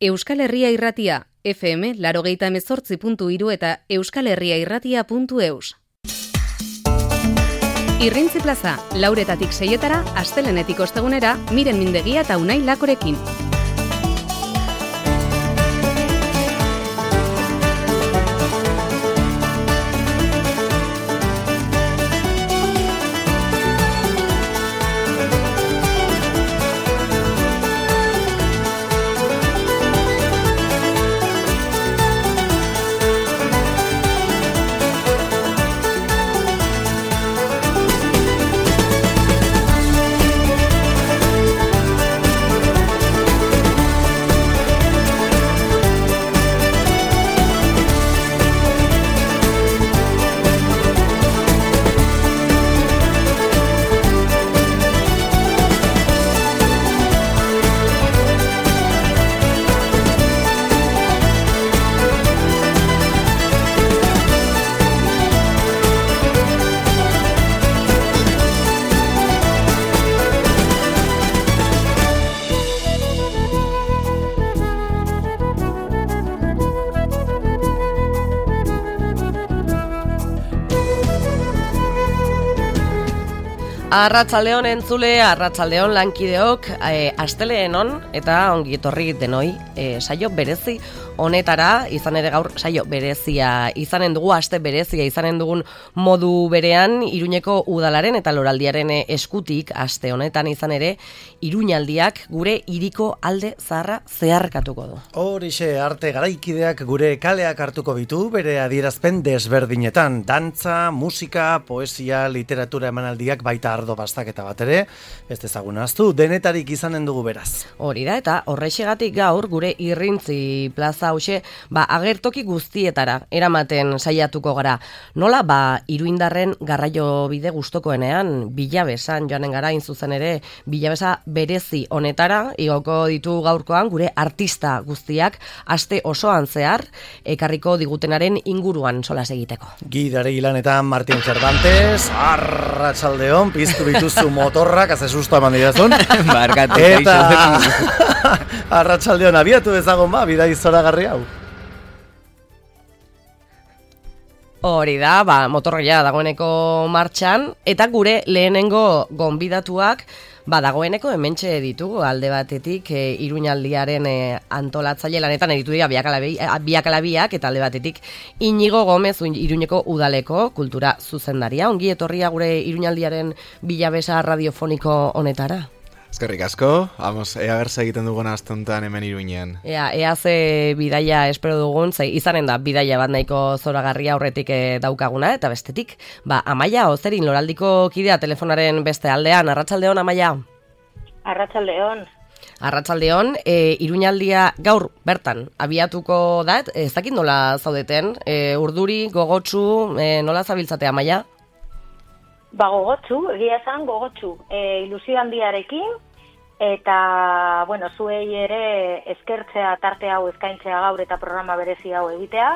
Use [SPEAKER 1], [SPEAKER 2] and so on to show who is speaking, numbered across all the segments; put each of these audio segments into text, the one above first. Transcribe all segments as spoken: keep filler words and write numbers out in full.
[SPEAKER 1] Euskal Herria Irratia, F M laurogeita hemezortzi puntu hiru eta euskalherriairratia puntu eus. Irrintzi plaza, lauretatik seietara, astelenetik ostegunera, Miren Mindegia eta Unai Lakorekin.
[SPEAKER 2] Arratsaldeon entzule, arratsaldeon lankideok, e, asteleen on eta ongi etorri denoi, e, saio berezi honetara, izan ere gaur saio berezia izanen dugu, aste berezia izanen dugun modu berean, Iruñeko udalaren eta loraldiaren eskutik, aste honetan izan ere, Iruñaldiak gure hiriko alde zaharra zeharkatuko du.
[SPEAKER 3] Horixe, arte garaikideak gure kaleak hartuko bitu, bere adierazpen desberdinetan, dantza, musika, poesia, literatura emanaldiak baita ardo bastaketa bat ere, ez dezagun ahaztu, denetarik izanen dugu beraz.
[SPEAKER 2] Hori da, eta horrexegatik gaur gure Irrintzi plaza hause, ba, agertoki guztietara eramaten saiatuko gara. Nola, ba, Iruindarren garraio bide gustokoenean, Bilabesan joanen gara, inzuzen ere, Bilabesa berezi honetara, igoko ditu gaurkoan gure artista guztiak, aste osoan zehar, ekarriko digutenaren inguruan solas egiteko.
[SPEAKER 3] Gidare Ilanetan Martin Cervantes, arratsaldeon, piztu bituzu motorrak, haze susto eman dirazun.
[SPEAKER 4] Barkatu,
[SPEAKER 3] eta arratsaldeon abiatu ezagon ba, bidai zoragarri hau.
[SPEAKER 2] Hori da, ba, motorria dagoeneko martxan, eta gure lehenengo gonbidatuak, ba, dagoeneko hementxe ditugu alde batetik e, Iruñaldiaren e, antolatzaile lanetan editu dira biak alabiak, eta alde batetik Inigo Gomez Iruñeko udaleko kultura zuzendaria. Ongi etorria gure Iruñaldiaren Bilabesa radiofoniko honetara.
[SPEAKER 4] Eskerrik asko, vamos, ea berza egiten dugun astontan hemen Iruñean.
[SPEAKER 2] Ea, ea ze bidaia espero dugun, ze izanen da bidaia bat nahiko zoragarria aurretik e, daukaguna, eta bestetik, ba, Amaia Ozerin loraldiko kidea telefonaren beste aldean. Arratsaldeon, Amaia.
[SPEAKER 5] Arratsaldeon.
[SPEAKER 2] Arratsaldeon, e, Iruñaldia gaur bertan abiatuko da, ez dakit nola zaudeten, e, urduri, gogotsu, e, nola zabiltzate, Amaia?
[SPEAKER 5] Ba, gogotsu, egia esan gogotsu, e, ilusio handiarekin, eta, bueno, zuei ere eskertzea tarte hau eskaintzea gaur eta programa berezi hau egitea,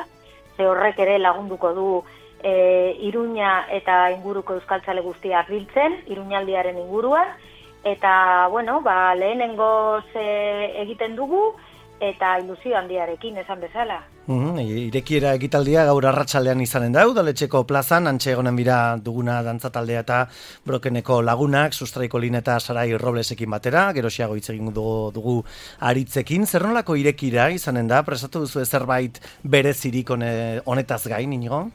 [SPEAKER 5] ze horrek ere lagunduko du e, Iruña eta inguruko euskaltzale guztiak biltzen, Iruñaldiaren inguruan, eta, bueno, ba, lehenengoz e, egiten dugu, eta ilusio handiarekin esan bezala.
[SPEAKER 3] Mm, irekiera ekitaldia gaur arratsaldean izanen da, udaletxeko plazan, antxe egonen bira duguna dantzataldea eta Brokeneko lagunak, Sustraiko Lin eta Sarai Roblesekin batera, gerosiago hitz egin dugu, dugu aritzekin. Zer nolako irekira izanen da, prestatu duzu zerbait berezirik honetaz gain, Inigo?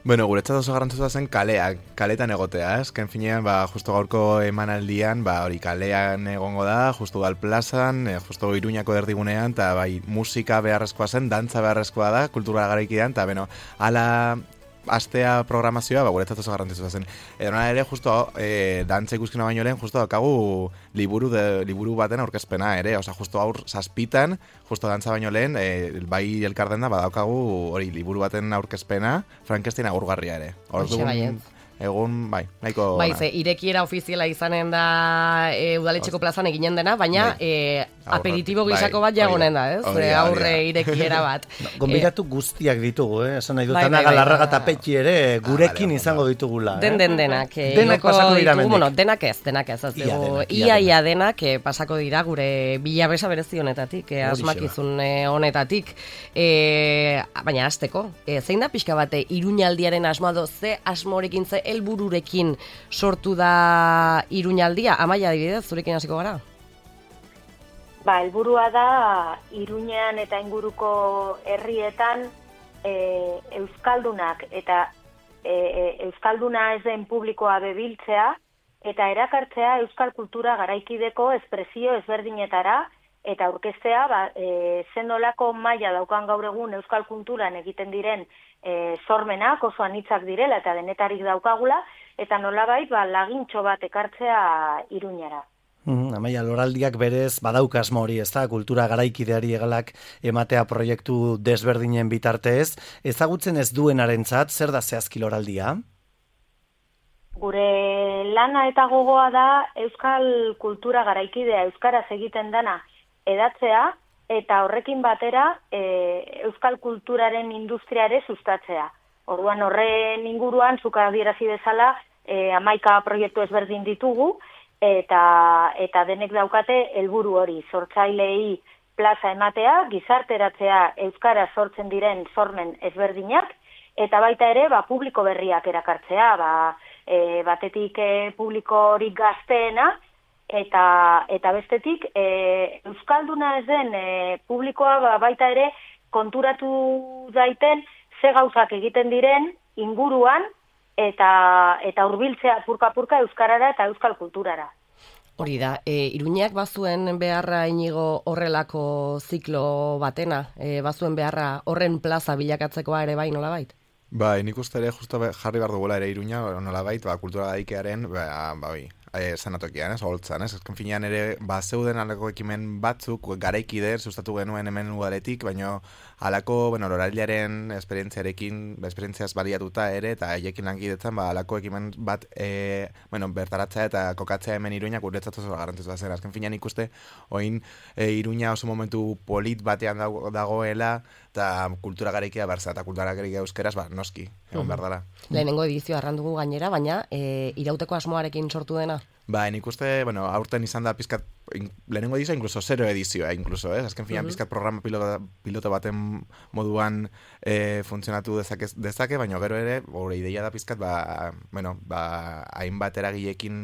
[SPEAKER 4] Bueno, guretzat oso garrantzitsua zen kaleak, kaletan egotea, ez? Ken finean, ba, justo gaurko emanaldian, ba, hori kalean egongo da, justo Udal plazan, e, justo Iruñako erdigunean, eta bai, musika beharrezkoa zen, dantza beharrezkoa da, kultura garaikidean, eta beno, ala astea programazioa, ba, guretzat oso garrantzitsua zen. Edo nara ere, justo, e, dantza ikuskina baino lehen, justo daukagu liburu, de, liburu baten aurkezpena ere, oza, justo aur zazpitan, justo dantza baino lehen, e, bai elkarden da, badaukagu hori liburu baten aurkezpena, Frankenstein agurgarria ere. Orduan, egun, bai, nahiko...
[SPEAKER 2] Bai, ze, irekiera ofiziala izanen da e, udaletxeko plazan eginen dena, baina
[SPEAKER 4] bai.
[SPEAKER 2] e, aperitibo
[SPEAKER 4] bai,
[SPEAKER 2] gizako bat jagonen da, ez?
[SPEAKER 4] hori da, hori
[SPEAKER 2] Aurre
[SPEAKER 4] da.
[SPEAKER 2] irekiera bat.
[SPEAKER 3] No, Gonbidatu guztiak ditugu, eh? Esan nahi dut,
[SPEAKER 2] Bai,
[SPEAKER 3] Ana
[SPEAKER 2] bai, bai.
[SPEAKER 3] Galarraga eta Petxi ere gurekin
[SPEAKER 4] Ah, vale,
[SPEAKER 3] izango ditugula.
[SPEAKER 2] Den
[SPEAKER 3] eh?
[SPEAKER 2] den denak. eh,
[SPEAKER 3] Denak
[SPEAKER 2] igoko
[SPEAKER 3] pasako dira
[SPEAKER 2] ditugu,
[SPEAKER 3] hemendik.
[SPEAKER 2] bueno, denak ez, denak ez. ez
[SPEAKER 3] Ia
[SPEAKER 2] dugu-
[SPEAKER 3] denak, ia
[SPEAKER 2] ia,
[SPEAKER 3] denak.
[SPEAKER 2] ia denak eh, pasako dira gure bilabesa berezi honetatik, eh,
[SPEAKER 3] Horixe
[SPEAKER 2] asmakizun eh, honetatik. Eh, baina hasteko, eh, zein da pixka bate Iruñaldiaren asmoa do, ze asmorekin, ze helbururekin sortu da Iruñaldia? Amaia, adibidez, zurekin hasiko gara?
[SPEAKER 5] Ba, helburua da Iruñean eta inguruko herrietan e, euskaldunak eta e, e, euskalduna ez den publikoa bebiltzea eta erakartzea euskal kultura garaikideko espresio ezberdinetara eta aurkeztea ba, e, zenolako maila daukan gaur egun euskal kulturan egiten diren e, sormenak oso anitzak direla eta denetarik daukagula eta nolabait ba, lagintxo bat ekartzea Iruñara.
[SPEAKER 3] Mm, Amaia, loraldiak berez badauka asmo hori, ez da, kultura garaikideari egalak ematea proiektu desberdinen bitartez. Ezagutzen ez duenarentzat, zer da zehazki loraldia?
[SPEAKER 5] Gure lana eta gogoa da euskal kultura garaikidea euskaraz egiten dana edatzea eta horrekin batera e, euskal kulturaren industriare sustatzea. Orduan horren inguruan, zuk adierazi bezala, e, hamaika proiektu ezberdin ditugu, eta eta denek daukate helburu hori, sortzaileei plaza ematea, gizarteratzea euskara sortzen diren sormen ezberdinak, eta baita ere ba, publiko berriak erakartzea, ba, e, batetik e, publikorik gazteena, eta eta bestetik e, euskalduna ez den e, publikoa ba, baita ere konturatu daiten ze gauzak egiten diren inguruan, eta eta hurbiltzea purka-purka euskarara eta euskal kulturara.
[SPEAKER 2] Hori da, e, Iruñak bazuen beharra inigo horrelako ziklo batena, e, bazuen beharra horren plaza bilakatzekoa ere bai nolabait?
[SPEAKER 4] Bai, nik uste ere justo jarri behar dugula ere Iruña, nolabait, ba, kultura garaikearen, ba, ba, bai, e, zanatokian, ez, holtzan, ez, ezken finean ere, ba, zeuden alako ekimen batzuk, garaikider, sustatu genuen hemen udaletik, baina alako, bueno, loraldiaren esperientziarekin, esperientziaz baliatuta ere, eta haiekin lankidetzen, ba, alako ekimen bat, e, bueno, bertaratzea eta kokatzea hemen Iruña, guretzat oso garrantzitsua zen, azken finean ikuste, oin, e, Iruña oso momentu polit batean dago, dagoela, eta kultura garaikia berza, eta kultura garaikia euskeraz, ba, noski, egon behar dela.
[SPEAKER 2] Lehenengo edizioa arrandugu gainera, baina e, irauteko asmoarekin sortu dena?
[SPEAKER 4] Ba, nik uste, bueno, aurten izan da pizkat, in, lehenengo edizioa, incluso zero edizioa, incluso, eh? Azken finean, pizkat programa piloto, piloto baten moduan e, funtzionatu dezake, dezake, baina gero ere, gure ideia da pizkat, ba, bueno, ba, hainbat eragilekin,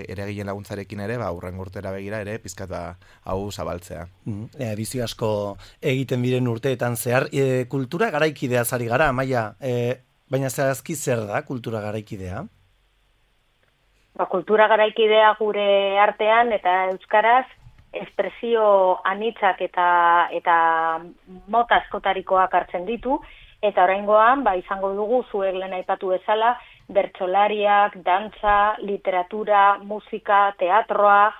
[SPEAKER 4] eragileen laguntzarekin ere, ba, urren urtera begira ere, pizkat, ba, hau zabaltzea.
[SPEAKER 3] Mm, edizio asko egiten diren urteetan zehar. E, kultura garaikidea zari gara, Amaia, e, baina zehazki zer da kultura garaikidea?
[SPEAKER 5] Ba, kultura garaikidea gure artean eta euskaraz espresio anitzak eta eta mota askotarikoak hartzen ditu eta oraingoan ba izango dugu zuek lehen aipatu bezala bertsolariak, dantza, literatura, musika, teatroa,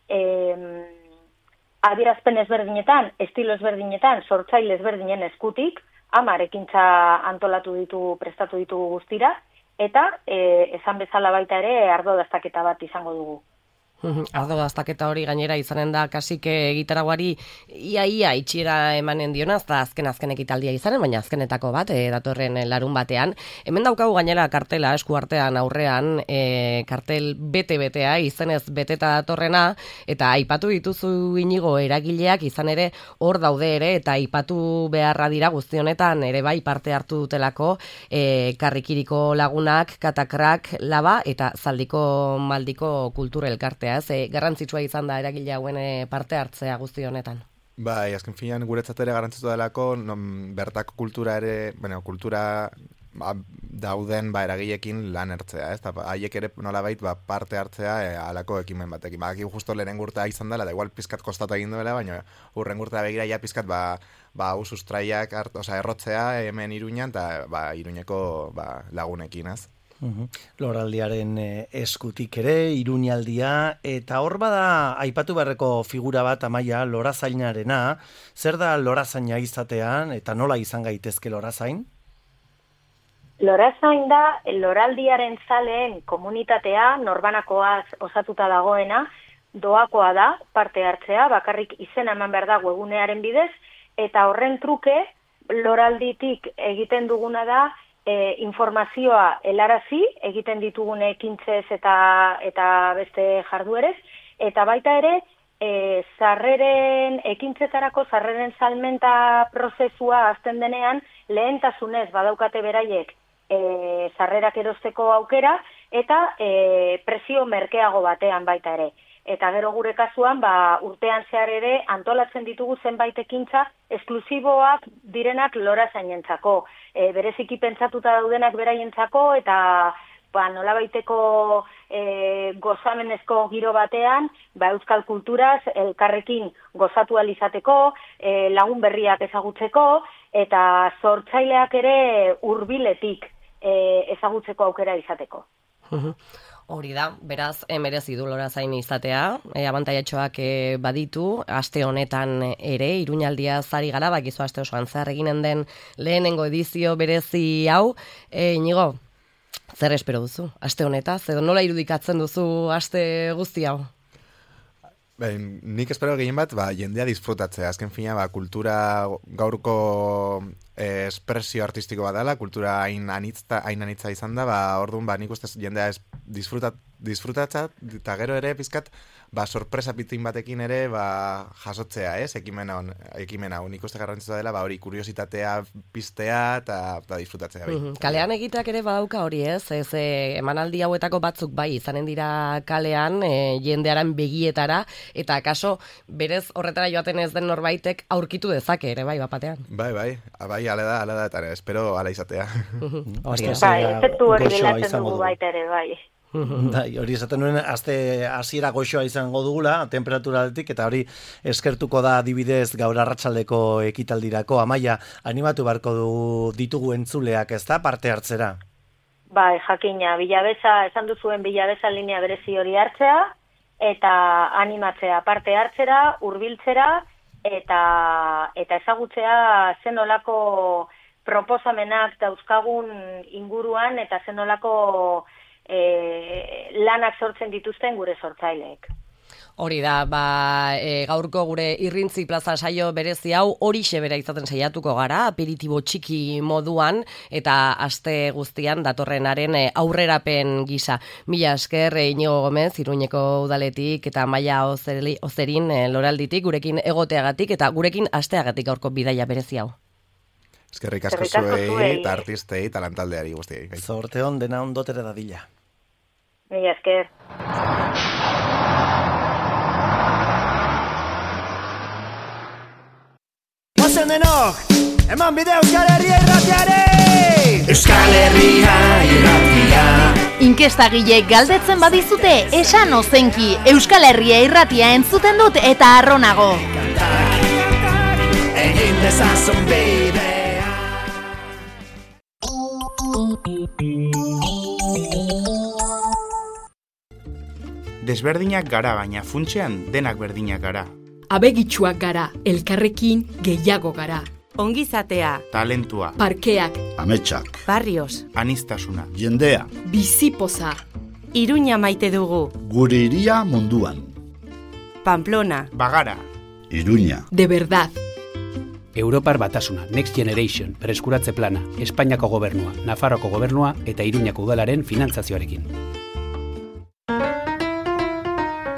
[SPEAKER 5] em, adierazpen ezberdinetan, estilo ezberdinetan, sortzaile ezberdinen eskutik, hamar ekintza antolatu ditu, prestatu ditugu guztira, eta e, esan bezala baita ere ardo daztaketa bat izango dugu.
[SPEAKER 2] Ardo daztaketa hori gainera izanen da kasik gitaraguari ia-ia itxiera emanen dionaz, eta azken-azken ekitaldia izanen, baina azkenetako bat, e, datorren larun batean. Hemen daukagu gainera kartela esku artean aurrean, e, kartel bete-betea, izenez beteta datorrena, eta aipatu dituzu inigo eragileak izan ere hor daude ere, eta aipatu beharra dira guzti honetan ere bai parte hartu dutelako, e, karrikiriko lagunak, katakrak, laba, eta zaldiko maldiko kultura elkartea. Ze garrantzitsua izan da eragile hauen parte hartzea guzti honetan.
[SPEAKER 4] Bai, azken finean guretzat ere garrantzitsua delako, non, bertako kultura ere, bueno, kultura ba, dauden ba, eragileekin lan ertzea, ez? Haiek ere nolabait ba, parte hartzea e, alako ekimen batekin. Ba, justo lehen gurta izan dela, da igual pizkat kostatu egin duela, baina urren gurta begira ja pizkat ba, ba, sustraiak hart, oza, errotzea hemen Iruñan, eta ba, Iruñeko ba, lagunekin, ez?
[SPEAKER 3] Uhum. Loraldiaren e, eskutik ere, Iruñaldia, eta hor bada aipatu beharreko figura bat, Amaia, lorazainarena. Zer da lorazaina izatean, eta nola izan gaitezke lorazain?
[SPEAKER 5] Lorazain da loraldiaren zaleen komunitatea, norbanakoaz osatuta dagoena, doakoa da parte hartzea, bakarrik izena eman behar da webunearen bidez, eta horren truke loralditik egiten duguna da e, informazioa helarazi, egiten ditugun ekintzez eta, eta beste jarduerez, eta baita ere, e, zarreren, ekintzetarako zarreren salmenta prozesua azten denean, lehentasunez badaukate beraiek e, zarrerak erosteko aukera, eta e, presio merkeago batean baita ere. Eta gero gure kasuan, ba, urtean zehar ere antolatzen ditugu zenbait ekintza esklusiboak direnak lorazainentzako. E, bereziki pentsatuta daudenak beraientzako eta ba, nolabaiteko e, gozamenezko giro batean, ba, euskal kulturaz elkarrekin gozatu alizateko, e, lagun berriak ezagutzeko eta sortzaileak ere hurbiletik e, ezagutzeko aukera izateko.
[SPEAKER 2] Hori da, beraz, merezi du Lorazain izatea, e, abantaiatxoak e, baditu, aste honetan ere, Iruñaldia zari gara, bakizu aste osoan zer eginen den lehenengo edizio berezi hau. E, Inigo, zer espero duzu, aste honetaz, edo nola irudikatzen duzu aste guzti hau?
[SPEAKER 4] Ben, nik espero gehien bat, ba, jendea disfrutatzea. Azken fina, ba, kultura gaurko eh, espresio artistiko bat dela, kultura hain anitza, hain anitza izan da, ba, orduan, ba, nik ustez jendea es, disfrutat, disfrutatza, eta gero ere, pizkat, ba, sorpresa pitin batekin ere, ba, jasotzea, ez, ekimen hau, ekimen hau. Nik uste garrantzitsua dela, ba, hori kuriositatea piztea, eta, eta disfrutatzea. Bai.
[SPEAKER 2] Mm-hmm. Kalean egiteak ere badauka hori, ez, ez, e, emanaldi hauetako batzuk bai, izanen dira kalean, e, jendearen begietara, eta akaso, berez horretara joaten ez den norbaitek aurkitu dezake ere, bai, bapatean.
[SPEAKER 4] Bai, bai, bai, ala da, ala da, eta espero ala izatea.
[SPEAKER 5] Hori, bai, efektu hori bilatzen dugu baita ere, bai.
[SPEAKER 3] Dai, hori esaten nuen, aste hasiera goxoa izango dugula, temperaturaletik, eta hori eskertuko da adibidez gaur arratsaldeko ekitaldirako. Amaia, animatu beharko du ditugu entzuleak, ez da, parte hartzera?
[SPEAKER 5] Bai, jakina, Bilabeza, esan duzuen Bilabeza linea berezi hori hartzea, eta animatzea parte hartzera, hurbiltzera, eta, eta ezagutzea zenolako proposamenak dauzkagun inguruan, eta zenolako E, lanak sortzen dituzten gure sortzaileek.
[SPEAKER 2] Hori da, ba, e, gaurko gure Irrintzi plaza saio berezi hau horixe bera izaten saiatuko gara, aperitibo txiki moduan, eta aste guztian datorrenaren aurrerapen gisa. Mila esker, Inigo Gomez, Iruñeko udaletik, eta Maia Ozeri, Ozerin e, Loralditik, gurekin egoteagatik, eta gurekin asteagatik gaurko bidaia berezi hau.
[SPEAKER 4] Eskerrik asko zuei, eta artistei, eta lantaldeari guztiei.
[SPEAKER 3] Zorte hon, dena ondotere dadila.
[SPEAKER 5] Mila esker.
[SPEAKER 6] Ozen denok, eman bide Euskal Herria irratiare! Euskal Herria irratia.
[SPEAKER 7] Inkestagilek galdetzen badizute, esan ozenki, Euskal Herria irratia entzuten dut eta arronago.
[SPEAKER 6] Egin dezazun bide.
[SPEAKER 8] Desberdinak gara, baina funtsean denak berdinak gara.
[SPEAKER 9] Abegitsuak gara, elkarrekin gehiago gara.
[SPEAKER 10] Ongizatea,
[SPEAKER 8] talentua,
[SPEAKER 9] parkeak,
[SPEAKER 11] ametsak,
[SPEAKER 10] barrios,
[SPEAKER 8] anistasuna,
[SPEAKER 11] jendea,
[SPEAKER 9] bizipoza,
[SPEAKER 10] Iruña maite dugu,
[SPEAKER 11] gure iria munduan,
[SPEAKER 10] Pamplona,
[SPEAKER 8] Bagara,
[SPEAKER 11] Iruña,
[SPEAKER 9] de verdad.
[SPEAKER 12] Europar Batasuna, Next Generation, Berreskuratze Plana, Espainiako Gobernua, Nafarroko Gobernua eta Iruñako Udalaren finantzazioarekin.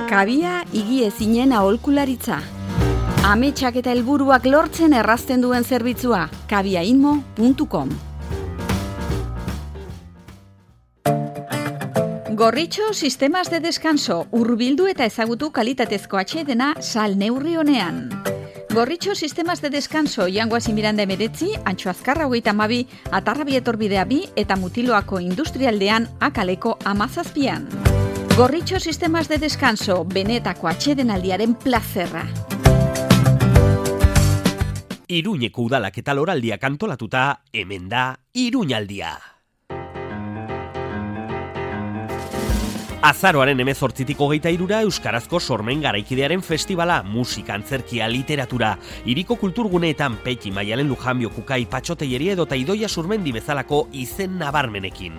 [SPEAKER 13] Kabia igi ezinen aholkularitza. Ametsak eta helburuak lortzen errazten duen zerbitzua. kabiainmo puntu com. Gorritxo Sistemas de Descanso, hurbildu eta ezagutu kalitatezko atsedena sal neurri honean. Gorritxo Sistemas de Descanso, Jangoazi Miranda emeretzi, Antxo Azkarra hogeita hamabi, Atarrabi etorbidea bi eta Mutiloako industrialdean akaleko amazazpian. Gorritxo Sistemas de Descanso, benetako atsedenaldiaren plazerra.
[SPEAKER 14] Iruñeko udalak eta loraldiak antolatuta, hemen da Iruñaldia. Azaroaren hemezortzitik hogeita hirura Euskarazko Sormen Garaikidearen Festivala, musika, antzerkia, literatura, hiriko kulturguneetan Peti, Maialen Lujanbio, Kukai, Patxoteieria edota Idoia Surmendi bezalako izen nabarmenekin.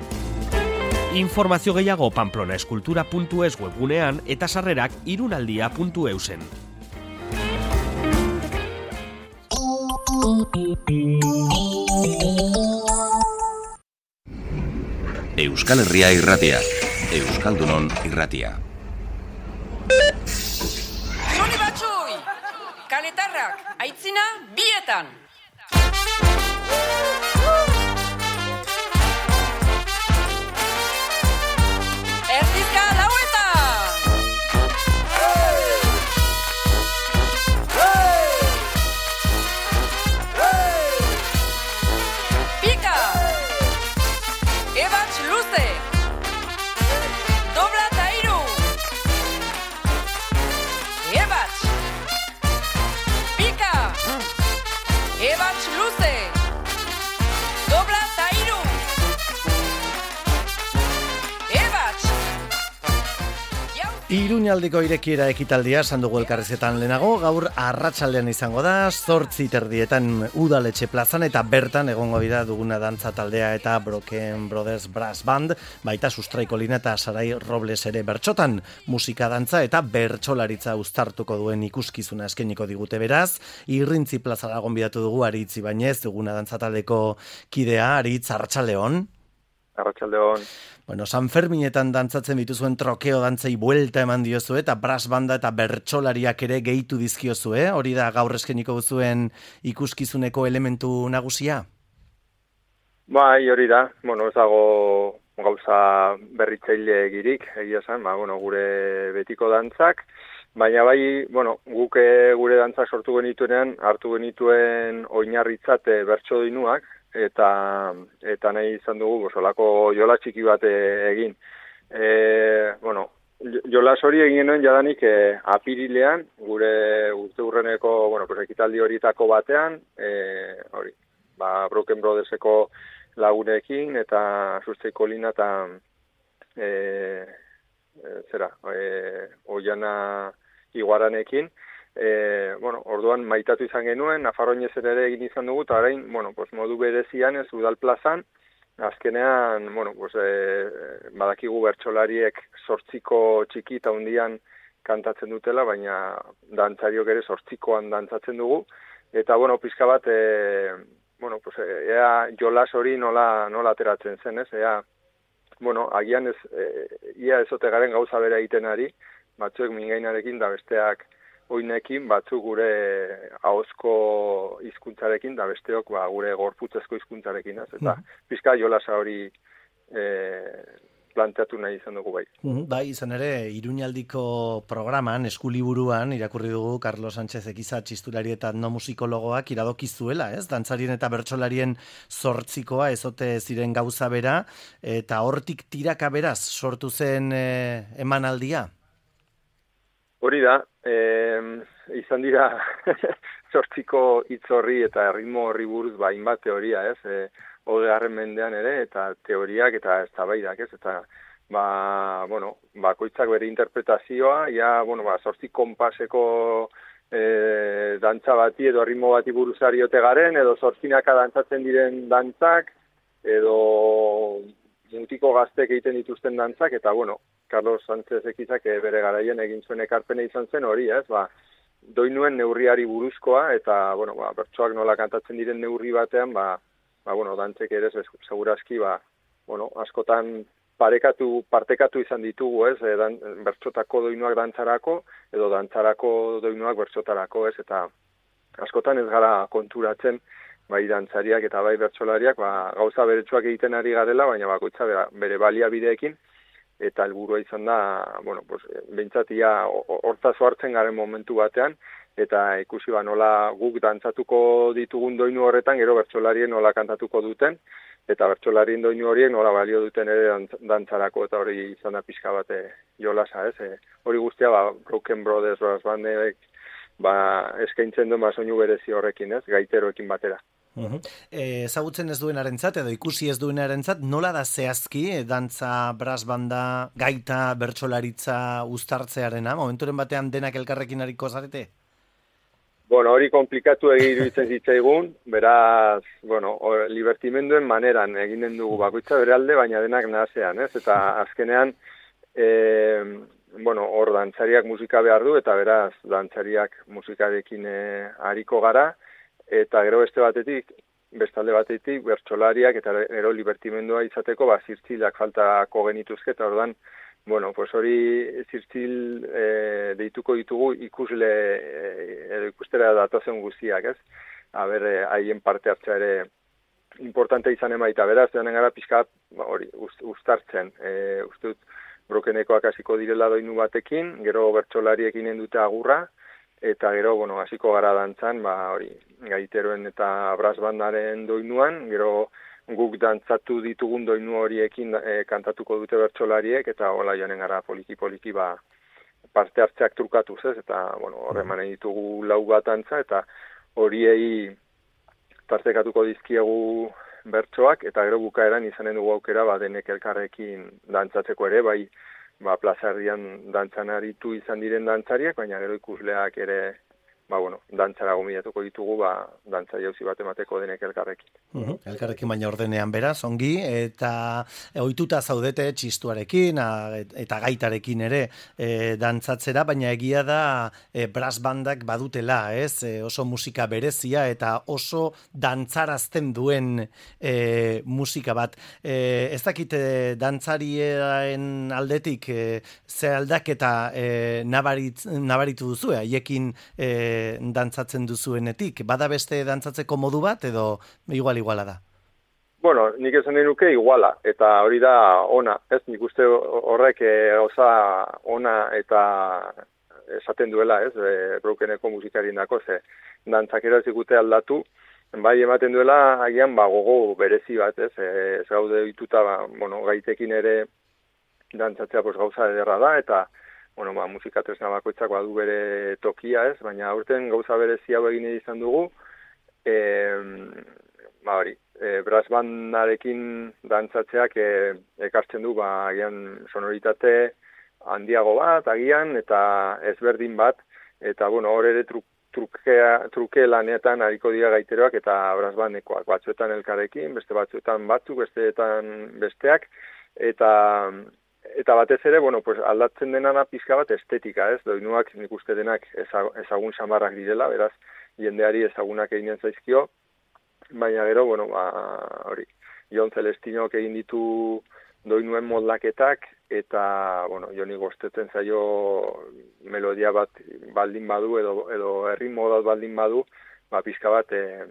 [SPEAKER 14] Informazio gehiago pamplona-eskultura puntu es webgunean eta sarrerak irunaldia puntu eusen.
[SPEAKER 15] Euskal Herria irratia. Euskaldunon irratia.
[SPEAKER 16] Zoni batxui! Kaletarrak, aitzina, bietan! Erdizka lauetan! Pika! Ebatx luze! Dobla eta iru! Ebatx! Pika! Ebatx luze! Dobla eta iru! Ebatx!
[SPEAKER 3] Iruñaldiko irekiera ekitaldia sandugu elkarrezetan lehenago, gaur arratsaldean izango da, zortzi terdietan udaletxe plazan eta bertan egongo dira duguna dantza taldea eta Broken Brothers Brass Band, baita Sustraiko Lina eta Sarai Robles ere bertsotan, musika dantza eta bertsolaritza uztartuko duen ikuskizuna eskeniko digute beraz, Irrintzi plazara gonbidatu dugu Aritz Ibañez, duguna dantza taldeko kidea, Aritz, arratsaldeon.
[SPEAKER 17] Arratsaldeon.
[SPEAKER 3] Bueno, San Ferminetan dantzatzen dituzuen trokeo dantzei buelta eman diozu eta brass banda eta bertsolariak ere gehitu dizkiozue, hori da gaur eskeniko duzuen ikuskizuneko elementu nagusia?
[SPEAKER 17] Bai, hori da. Bueno, ez dago gauza berritzaile egirik, egia esan, ba, bueno, gure betiko dantzak, baina bai, bueno, guk gure dantzak sortu genituenean, hartu genituen oinarritzat bertso doinuak, eta eta nahi izan dugu bosolako jola txiki bat egin. E, bueno, jolas hori egin genuen jadanik e, apirilean, gure urte urreneko, bueno, pues, ekitaldi horietako batean, e, hori, ba, Broken Brotherseko lagunekin, eta Sustraiko Lina eta e, e, zera, e, Oiana Iguaranekin, E, bueno, orduan maitatu izan genuen, Nafarroinezen ere egin izan dugu, eta orain, bueno, pues, modu berezian ez udal plazan, azkenean, bueno, pues, e, badakigu bertsolariek sortziko txiki eta hundian kantatzen dutela, baina dantzariok ere sortzikoan dantzatzen dugu, eta, bueno, pizka bat, e, bueno, pues, ea jolas hori nola, nola ateratzen zen, ez, ea, bueno, agian ez, e, ia ezote garen gauza bera egiten ari, batzuek mingainarekin da besteak oinekin, batzuk gure ahozko hizkuntzarekin da besteok ba, gure gorputzezko hizkuntzarekin, ez? Eta mm. pizka jolasa hori e, planteatu nahi izan dugu bai.
[SPEAKER 3] Mm, bai, izan ere, Iruñaldiko programan, eskuliburuan, irakurri dugu Carlos Sánchez Ekiza txistulari eta no musikologoak iradokizuela, ez? Dantzarien eta bertsolarien zortzikoa ezote ziren gauza bera, eta hortik tiraka beraz sortu zen e, emanaldia?
[SPEAKER 17] Hori da, e, izan dira sortziko hitz horri eta ritmo horri buruz ba hainbat teoria, ez? E, Hogegarren mendean ere eta teoriak eta eztabaidak, ez? Eta ba, bueno, bakoitzak bere interpretazioa, ja, bueno, ba zortzi konpaseko e, dantza bati edo ritmo bati buruzari ote garen edo zortzinaka dantzatzen diren dantzak edo mutiko gaztek egiten dituzten dantzak eta bueno, Carlos Sánchez Ekizak bere garaian egin zuen ekarpena izan zen hori, ez? Ba, doinuen neurriari buruzkoa eta bueno, ba, bertsoak nola kantatzen diren neurri batean, ba, ba bueno, dantzek ere segurazki ba, bueno, askotan parekatu, partekatu izan ditugu, ez? E, dan, bertsotako doinuak dantzarako edo dantzarako doinuak bertsotarako, ez? Eta askotan ez gara konturatzen bai dantzariak eta bai bertsolariak, ba, gauza beretsuak egiten ari garela, baina bakoitza bere baliabideekin eta helburua izan da, bueno, pues, behintzatia hortazo hartzen garen momentu batean, eta ikusi ba nola guk dantzatuko ditugun doinu horretan, gero bertsolarien nola kantatuko duten, eta bertsolarien doinu horiek nola balio duten ere dantzarako, eta hori izan da pixka bate jolasa, ez? E, hori guztia, ba, Broken Brothers Brass Bandek, ba, eskaintzen duen ba, soinu berezi horrekin, ez? Gaiteroekin batera.
[SPEAKER 3] Uhum. E, ezagutzen ez duenarentzat edo ikusi ez duenarentzat nola da zehazki e, dantza, brass banda, gaita, bertsolaritza uztartzearena, momenturen batean denak elkarrekin ariko zarete?
[SPEAKER 17] Bueno, hori komplikatu iruditzen zitzaigun, beraz, bueno, or, libertimenduen maneran eginen dugu bakoitza bere alde, baina denak nahasean, ez? Eta azkenean, e, bueno, hor dantzariak musika behar du, eta beraz, dantzariak musikarekin e, ariko gara, eta gero beste batetik, bestalde batetik, bertsolariak eta gero libertimendua izateko, ba, zirtzilak faltako genituzke, eta ordan, bueno, pues hori zirtzil e, deituko ditugu ikusle, edo e, ikustera datozen guztiak, ez? Aber, haien parte hartzea ere importante izan emaita, beraz, joanen gara pixka hori uztartzen, e, uste dut, brokenekoak hasiko direla doinu batekin, gero bertsolariekin dute agurra, eta gero, bueno, hasiko gara dantzan, ba, hori, gaiteroen eta brass bandaren doinuan, gero guk dantzatu ditugun doinu horiekin e, kantatuko dute bertsolariek, eta hola joanen gara poliki-poliki ba, parte hartzeak trukatuz, ez? Eta, bueno, horremanen ditugu lau bat dantza, eta horiei tartekatuko dizkiegu bertsoak, eta gero bukaeran izanen dugu aukera, ba, denek elkarrekin dantzatzeko ere, bai, ba, plazarrian dantzan aritu izan diren dantzariak, baina gero ikusleak ere, ba, bueno, dantzara gomidatuko ditugu, ba, dantza jauzi bat emateko denek elkarrekin.
[SPEAKER 3] Uhum. Elkarrekin baina ordenean beraz, ongi, eta ohituta zaudete txistuarekin, a, eta gaitarekin ere e, dantzatzera, baina egia da e, brass bandak badutela, ez? E, oso musika berezia eta oso dantzarazten duen e, musika bat. E, ez dakit e, dantzarien aldetik e, ze aldaketa e, nabarit, nabaritu duzu, haiekin e, dantzatzen duzuenetik. Bada beste dantzatzeko modu bat edo igual-iguala da?
[SPEAKER 17] Bueno, nik esan nahi nuke iguala, eta hori da ona, ez? Nik uste horrek osa ona eta esaten duela, ez? E, brokeneko musikarien dako, ze dantzak erazikute aldatu, bai ematen duela agian ba, gogo berezi bat, ez? E, ez gaude dituta, ba, bueno, gaitekin ere dantzatzea pues, gauza ederra da, eta bueno, ba, musika tresna bakoitzak badu bere tokia, ez? Baina aurten gauza berezi hau egin izan dugu, e, ba hori, e, brass bandarekin dantzatzeak e, ekartzen du, ba, agian sonoritate handiago bat, agian, eta ezberdin bat, eta, bueno, hor ere truk, trukea, truke lanetan hariko dira gaiteroak eta brass bandekoak, batzuetan elkarrekin, beste batzuetan batzuk, besteetan besteak, eta Eta batez ere, bueno, pues aldatzen denana pizka bat estetika, ez? Doinuak nik uste denak ezagun samarrak direla, beraz, jendeari ezagunak eginen zaizkio, baina gero, bueno, ba, hori, Jon Celestinok egin ditu doinuen moldaketak, eta, bueno, Joni gostetzen zaio melodia bat baldin badu, edo, edo erritmo bat baldin badu, ba, pizka bat, e,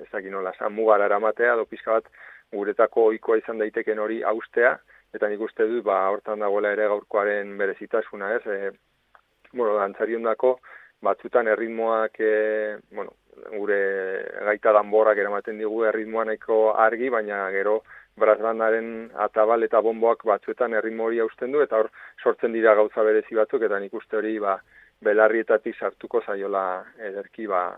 [SPEAKER 17] ezakin nola, mugara eramatea, edo pizka bat guretako ohikoa izan daiteken hori haustea, eta nik uste dut, ba, hortan dagoela ere gaurkoaren berezitasuna, ez? E, bueno, dantzariondako batzutan erritmoak, e, bueno, gure gaita danborrak eramaten digu erritmoa nahiko argi, baina gero brass bandaren atabal eta bomboak batzuetan erritmo hori hausten du, eta hor sortzen dira gauza berezi batzuk, eta nik uste hori, ba, belarrietatik sartuko zaiola ederki, ba,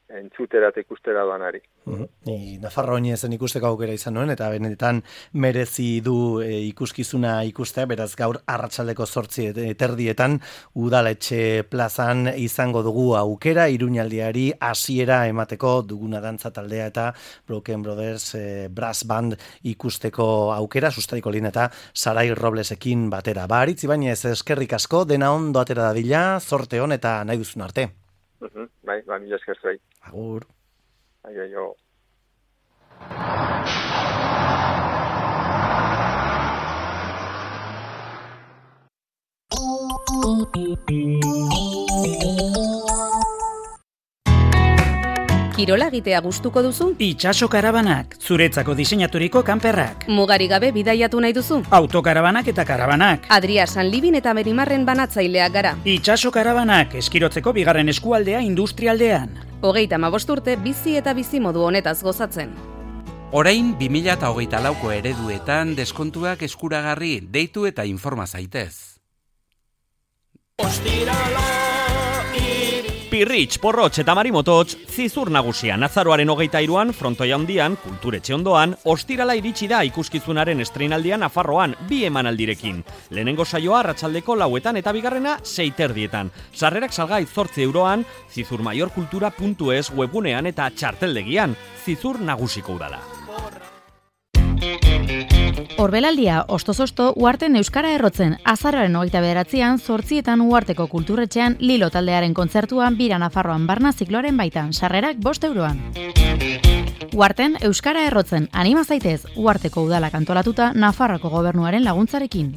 [SPEAKER 17] entzutera eta ikustera doanari.
[SPEAKER 3] Uh-huh. Ni Nafarro zen ikusteko aukera izan nuen, eta benetan merezi du e, ikuskizuna ikustea, beraz gaur arratsaldeko zortzi eterdietan udaletxe plazan izango dugu aukera, Iruñaldiari hasiera emateko duguna dantza taldea eta Broken Brothers e, Brass Band ikusteko aukera, Sustraiko Lin eta Sarai Roblesekin batera. Ba, Aritz Ibañez, eskerrik asko, dena ondo atera dadila, zorte hon eta nahi duzun arte.
[SPEAKER 17] Uh-huh. Bai, ba, mila esker zuei.
[SPEAKER 3] Agur.
[SPEAKER 17] Aio, aio.
[SPEAKER 1] Kirola egitea gustuko duzu?
[SPEAKER 18] Itxaso karabanak, zuretzako diseinaturiko kanperrak.
[SPEAKER 1] Mugari gabe bidaiatu nahi duzu?
[SPEAKER 18] Autokarabanak eta karabanak.
[SPEAKER 1] Adria Sanlibin eta Merimarren banatzaileak gara.
[SPEAKER 18] Itxaso karabanak, eskirotzeko bigarren eskualdea industrialdean.
[SPEAKER 1] Hogeita hamabost urte bizi eta bizi modu honetaz gozatzen.
[SPEAKER 19] Orain bi mila hogeita lauko ereduetan deskontuak eskuragarri, deitu eta informa zaitez.
[SPEAKER 6] Ostirala
[SPEAKER 14] Pirritx, Porrotx eta Marimototx, zizur nagusian azaroaren hogeita iruan, frontoia handian, kulturetxe ondoan, ostirala iritsi da ikuskizunaren estreinaldian Nafarroan, bi emanaldirekin. Lehenengo saioa arratsaldeko lauetan eta bigarrena seiterdietan. Sarrerak salgai zortzi euroan, zizurmaiorkultura puntu es webgunean eta txarteldegian, zizur nagusiko udala.
[SPEAKER 20] Orbelaldia, ostoz-osto, Uharten Euskara Errotzen, azaroaren hogeita bederatzian, zortzietan Uharteko kulturretxean, Lilo taldearen kontzertuan, bira Nafarroan barna zikloaren baitan, sarrerak bost euroan. Uharten Euskara Errotzen, anima zaitez, Uharteko udalak antolatuta, Nafarroko gobernuaren laguntzarekin.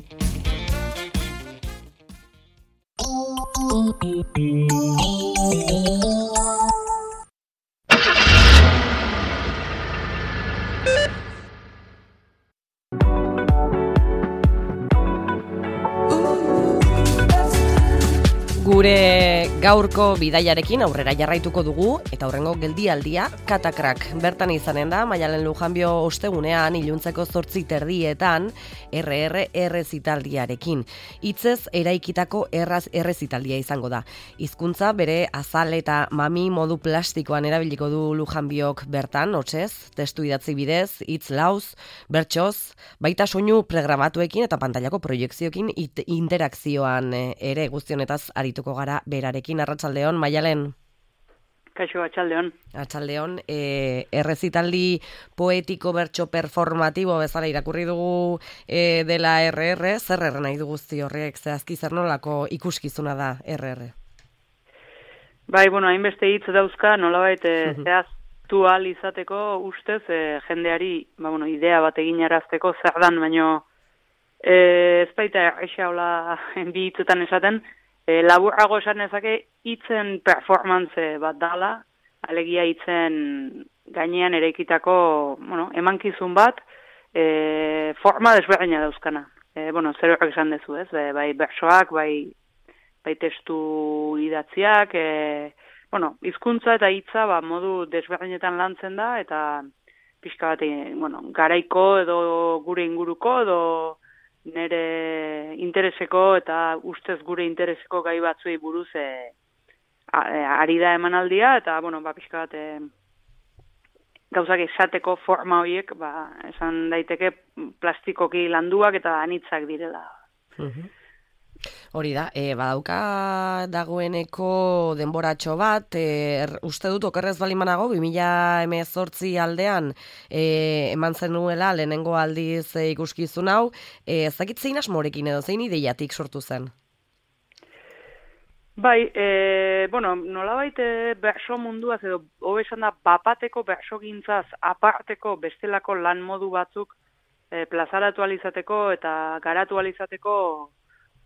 [SPEAKER 2] Gure gaurko bidaiarekin aurrera jarraituko dugu eta aurrengo geldialdia Katakrak. Bertan izanen da Maialen Lujanbio ostegunean iluntzeko zortzi terdietan erre erre errezitaldiarekin. Hitzez eraikitako erraz errezitaldia izango da. Hizkuntza bere azal eta mami modu plastikoan erabiliko du Lujanbiok bertan, hotsez, testu idatzi bidez, hitz lauz, bertsoz, baita soinu programatuekin eta pantailako proiekzioekin interakzioan ere guztionetaz arituko gara berarekin. Arratsaldeon, Maialen.
[SPEAKER 21] Kaixo, atxaldeon.
[SPEAKER 2] Atxaldeon, e, errezitaldi poetiko bertso performatibo bezala irakurri dugu e, dela erre erre, zer erre nahi du guzti horrek, zehazki zer nolako ikuskizuna da erre erre?
[SPEAKER 21] Bai, bueno, hainbeste hitz dauzka, nolabait e, zehaztu ahal izateko ustez e, jendeari, ba, bueno, idea bat egin arazteko zer dan, baino e, ez baita esa hola bi hitzetan esaten, E, laburrago esan ezake hitzen performance bat dala, alegia hitzen gainean eraikitako, bueno, emankizun bat, e, forma desberdina dauzkana. E, bueno, zer horrek esan dezu, ez? E, bai bersoak, bai, bai testu idatziak, e, bueno, hizkuntza eta hitza ba, modu desberdinetan lantzen da, eta pixka bat, e, bueno, garaiko edo gure inguruko edo nere intereseko eta ustez gure intereseko gai batzuei buruz e, ari da emanaldia, eta, bueno, ba, pixka bat e, gauzak esateko forma horiek, ba, esan daiteke plastikoki landuak eta anitzak direla.
[SPEAKER 2] Uh-huh. Hori da, e, badauka dagoeneko denboratxo bat, e, er, uste dut okerrez balimanago, bi mila hemezortzi aldean e, eman zenuela lehenengo aldiz e, ikuskizun hau, e, ez dakit zein asmorekin edo zein ideiatik sortu zen?
[SPEAKER 21] Bai, e, bueno, nolabait e, berso munduaz edo hobe esan da bapateko berso gintzaz aparteko bestelako lan modu batzuk e, plazaratu alizateko eta garatu alizateko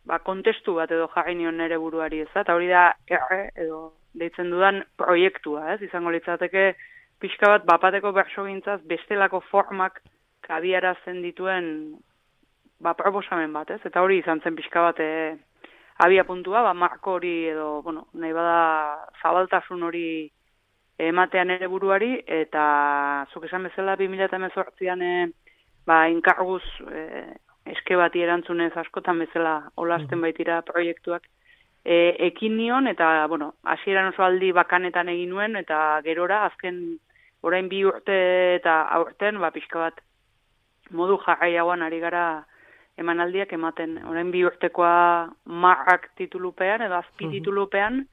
[SPEAKER 21] ba, kontestu bat edo jarri nion nere buruari, ez da, eta hori da erre edo deitzen dudan proiektua, ez, izango litzateke pixka bat bapateko bersogintzaz bestelako formak kabiarazten dituen ba, proposamen bat, ez, eta hori izan zen pixka bat e, abia puntua, ba, marko hori edo, bueno, nahi bada zabaltasun hori ematean ere buruari, eta zuk esan bezala bi mila hemezortzian e, ba, inkarguz e, eske bati erantzunez askotan bezala olasten baitira proiektuak e, ekin nion, eta, bueno, hasieran oso aldi bakanetan egin nuen, eta gerora, azken orain bi urte eta aurten, ba, pixka bat modu jarraiagoan ari gara emanaldiak ematen. Orain bi urtekoa marrak titulupean, edo azpititulupean,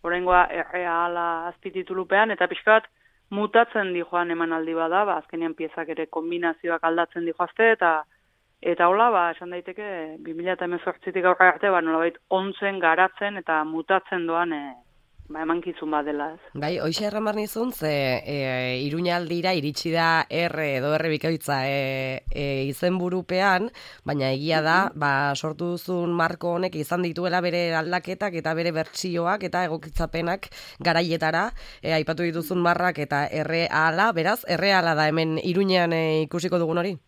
[SPEAKER 21] oraingoa erreala azpititulupean, eta pixka bat mutatzen di joan emanaldi bada, ba, azkenean piezak ere kombinazioak aldatzen di joazte, eta Eta hola, ba, esan daiteke, bi mila hemezortzitik aurra arte, ba, nolabait ontzen, garatzen eta mutatzen doan e, ba, emankizun bat dela, ez.
[SPEAKER 2] Bai, hoxe erramar nizun, ze e, Iruñaldira iritsi da erre edo erre bikoitza e, e, izenburupean, baina egia da, ba, sortu duzun marko honek izan dituela bere aldaketak eta bere bertsioak eta egokitzapenak garaietara, e, aipatu dituzun marrak eta erreala, beraz, erreala da hemen Iruñean e, ikusiko dugun hori?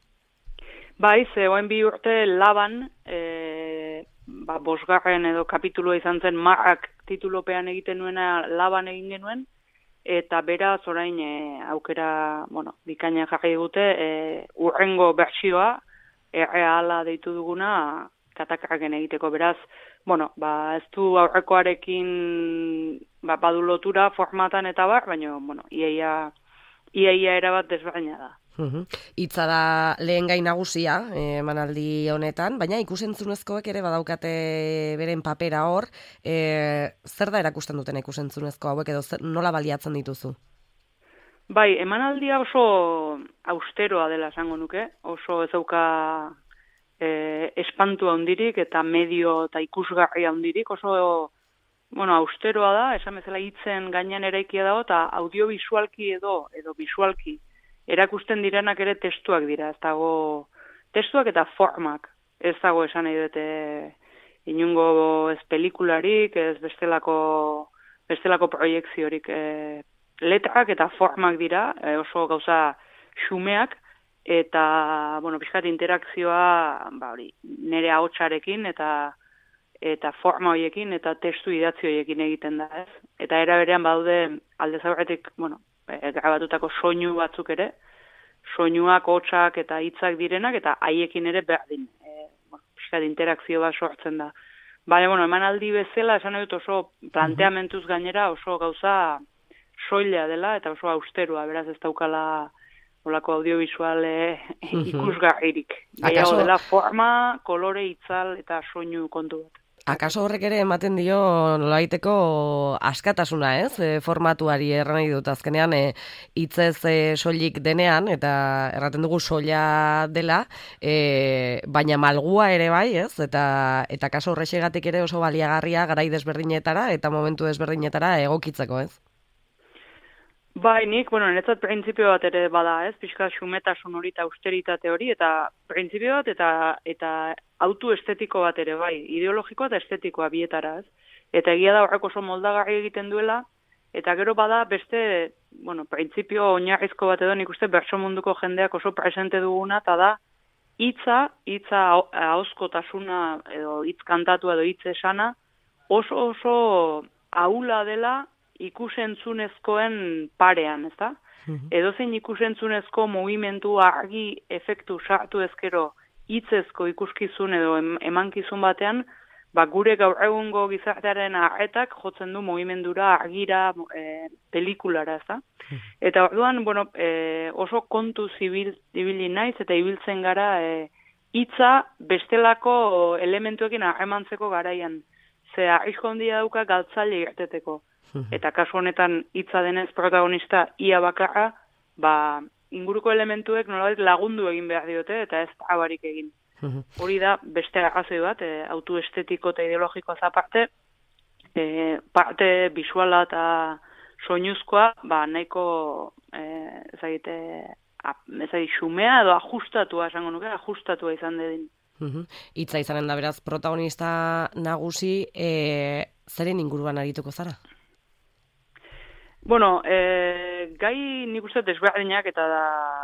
[SPEAKER 21] Bai, ze oen bi urte laban, e, ba, bosgarren edo kapitulua izan zen marrak titulopean egiten nuena laban egin genuen, eta beraz orain e, aukera, bueno, bikaina jarri dute, e, urrengo bertsioa, erreala deitu duguna, Katakraken egiteko, beraz, bueno, ba, ez du aurrekoarekin ba, badu lotura formatan eta bar, baina, bueno, iaia, iaia erabat desberdina da.
[SPEAKER 2] Hitza da lehen gai nagusia emanaldi honetan, baina ikusentzunezkoek ere badaukate beren papera hor, e, zer da erakusten duten ikusentzunezko hauek edo zer, nola baliatzen dituzu?
[SPEAKER 21] Bai, emanaldia oso austeroa dela esango nuke, oso ez dauka e, espantu handirik eta medio eta ikusgarri handirik, oso bueno, austeroa da, esan bezala hitzen gainean eraikia dago, eta audiovisualki edo, edo visualki erakusten direnak ere testuak dira, ez dago testuak eta formak, ez dago esan nahi dute inungo ez pelikularik, ez bestelako, bestelako proiekziorik, e, letrak eta formak dira, e, oso gauza xumeak, eta, bueno, pixkat interakzioa, ba hori, nire ahotsarekin eta eta forma horiekin eta testu idatzi horiekin egiten da, ez? Eta era berean badaude alde zaurretik, bueno, e, grabatutako soinu batzuk ere, soinuak, hotsak eta hitzak direnak, eta haiekin ere berdin, e, bueno, pixkat interakzio bat sortzen da. Baina, bueno, emanaldi bezala, esan dut oso planteamentuz gainera oso gauza soila dela, eta oso austeroa, beraz ez daukala olako audiovisuale ikusgarririk. Gehiago dela forma, kolore, itzal eta soinu kontu bat.
[SPEAKER 2] Akaso horrek ere ematen dio nolabaiteko askatasuna, ez? E, formatuari erran nahi dut azkenean e, hitzez e, soilik denean eta erraten dugu soila dela, e, baina malgua ere bai, ez? Eta eta kaso horrexegatik ere oso baliagarria garai desberdinetara eta momentu desberdinetara egokitzeko, ez?
[SPEAKER 21] Bai, nik, bueno, niretzat printzipio bat ere bada, ez? Pixka xumetasun hori eta austeritate hori, eta printzipio bat eta eta autu estetiko bat ere, bai, ideologikoa eta estetikoa bietara, ez? Eta egia da horrek oso moldagarri egiten duela, eta gero bada beste, bueno, printzipio oinarrizko bat edo nik uste bertso munduko jendeak oso presente duguna, eta da, hitza, hitza ahozkotasuna edo hitz kantatu edo hitz esana, oso oso ahula dela ikusentzunezkoen parean, ezta? Edozein ikusentzunezko mugimendu argi efektu sartu ezkero hitzezko ikuskizun edo emankizun batean, ba gure gaur egungo gizartearen arretak jotzen du mugimendura, argira, e, pelikulara, ezta? Eta orduan, bueno, e, oso kontu zibil ibili naiz eta ibiltzen gara e, hitza bestelako elementuekin harremantzeko garaian. Ze arrisko handia dauka galtzaile irteteko. Eta kasu honetan hitza denez protagonista ia bakarra, ba, inguruko elementuek nolabait lagundu egin behar diote eta ez abarik egin. Hori da beste arrazoi bat, e, autu estetiko eta ideologikoa aparte, e, parte visuala eta soinuzkoa, ba, nahiko e, ezagite, ezagite xumea edo ajustatua esango nuke, ajustatua izan dedin.
[SPEAKER 2] Hitza izanen da beraz protagonista nagusi, e, zeren inguruan arituko zara?
[SPEAKER 21] Bueno, e, gai nik uste desberdinak eta da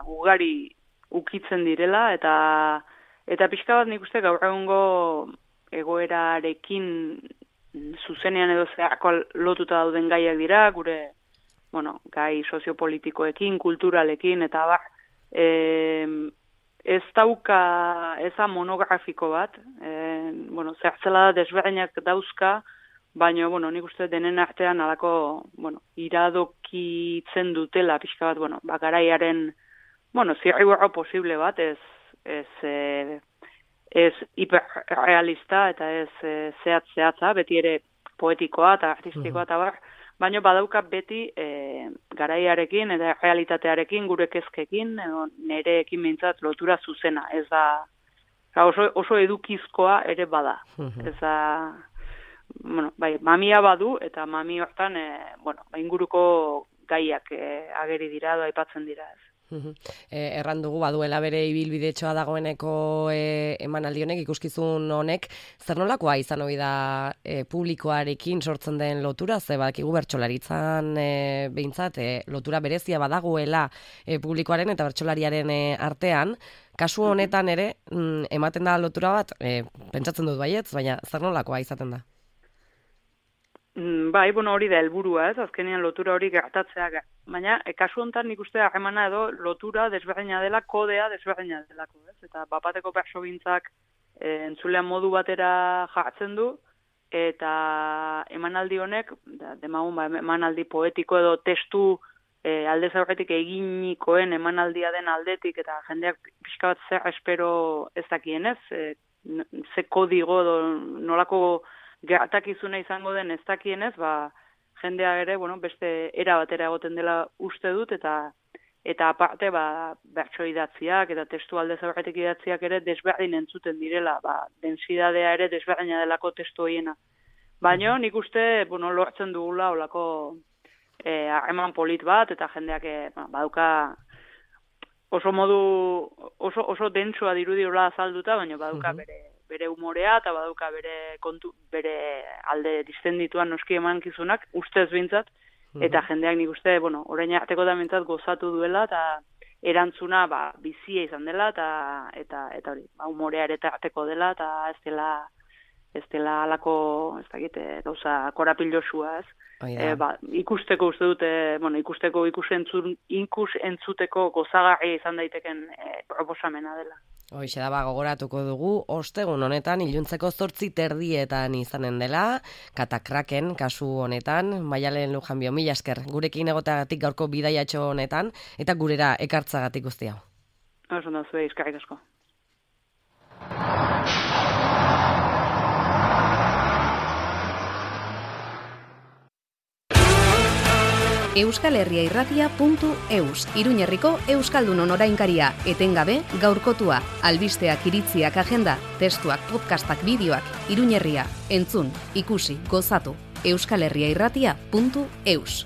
[SPEAKER 21] ugari ukitzen direla, eta eta pixka bat nik uste gaur egungo egoerarekin zuzenean edo zeharko lotuta dauden gaiak dira, gure, bueno, gai soziopolitikoekin, kulturalekin, eta bar, e, ez dauka, eza monografiko bat, e, bueno, zertzela desberdinak dauzka, baina, bueno, nik uste denen artean alako, bueno, iradokitzen dutela, pixka bat, bueno, bakaraiaren, bueno, zirriborro posible bat, ez, ez, e, ez hiperrealista eta ez e, zehatz-zehatza, beti ere poetikoa eta artistikoa eta bar, baina badauka beti e, garaiarekin eta realitatearekin, gure kezkekin, edo nereekin mintzat lotura zuzena, ez da, oso, oso edukizkoa ere bada, ez da, bueno, bai, mamia badu, eta mami hortan, e, bueno, inguruko gaiak e, ageri dira, edo aipatzen dira, ez.
[SPEAKER 2] E, erran dugu, baduela bere ibilbidetxoa dagoeneko e, emanaldi honek, ikuskizun honek, zer nolakoa izan hori da e, publikoarekin sortzen den lotura, ze badakigu bertsolaritzan e, behintzat, e, lotura berezia badagoela e, publikoaren eta bertsolariaren e, artean, kasu honetan ere, mm, ematen da lotura bat, e, pentsatzen dut baietz, baina zer nolakoa izaten da?
[SPEAKER 21] Bai, bueno, hori da helburua, ez, azkenean lotura hori gertatzea. Baina, e, kasu honetan nik uste harremana edo lotura desberdina dela, kodea desberdina delako, ez? Eta bapateko persogintzak e, entzulean modu batera jartzen du, eta emanaldi honek, demagun ba, emanaldi poetiko edo testu e, aldez aurretik eginikoen emanaldia den aldetik, eta jendeak pixka bat zer espero ez dakienez, e, ze kodigo edo nolako gertakizuna izango den ez dakienez, ba, jendea ere, bueno, beste era batera egoten dela uste dut, eta eta aparte, ba, bertso idatziak eta testu aldez aurretik idatziak ere desberdin entzuten direla, ba, densidadea ere desberdina delako testu hoiena. Baina nik uste, bueno, lortzen dugula olako harreman e, polit bat, eta jendeak e, ba, baduka oso modu, oso, oso dentsua dirudiola azalduta, baina baduka bere, bere humorea, eta baduka bere, kontu, bere alde distendituan noski emankizunak, ustez bintzat, eta jendeak nik uste, bueno, orain arteko da bintzat gozatu duela, eta erantzuna ba, bizia izan dela, eta eta eta hori, ba, humorea ere arteko dela, eta ez dela ez dela alako, ez dakit, gauza korapilosua, ez? E, ba, ikusteko uste dute, bueno, ikusteko ikus, entzun, ikus entzuteko gozagarria izan daiteken e, proposamena dela.
[SPEAKER 2] Hoixe da, ba, gogoratuko dugu, ostegun honetan, iluntzeko zortzi terdietan izanen dela, Katakraken kasu honetan, Maialen Lujanbio, mila esker, gurekin egoteagatik gaurko bidaiatxo honetan, eta gurera ekartzagatik guzti hau.
[SPEAKER 21] Oso da, zuei, eskarrik asko.
[SPEAKER 1] euskal herria irratia puntu eus, Iruñerriko Euskaldunon orainkaria, etengabe gaurkotua, albisteak, iritziak, agenda, testuak, podcastak, bideoak, Iruñerria, entzun, ikusi, gozatu, euskal herria irratia puntu eus.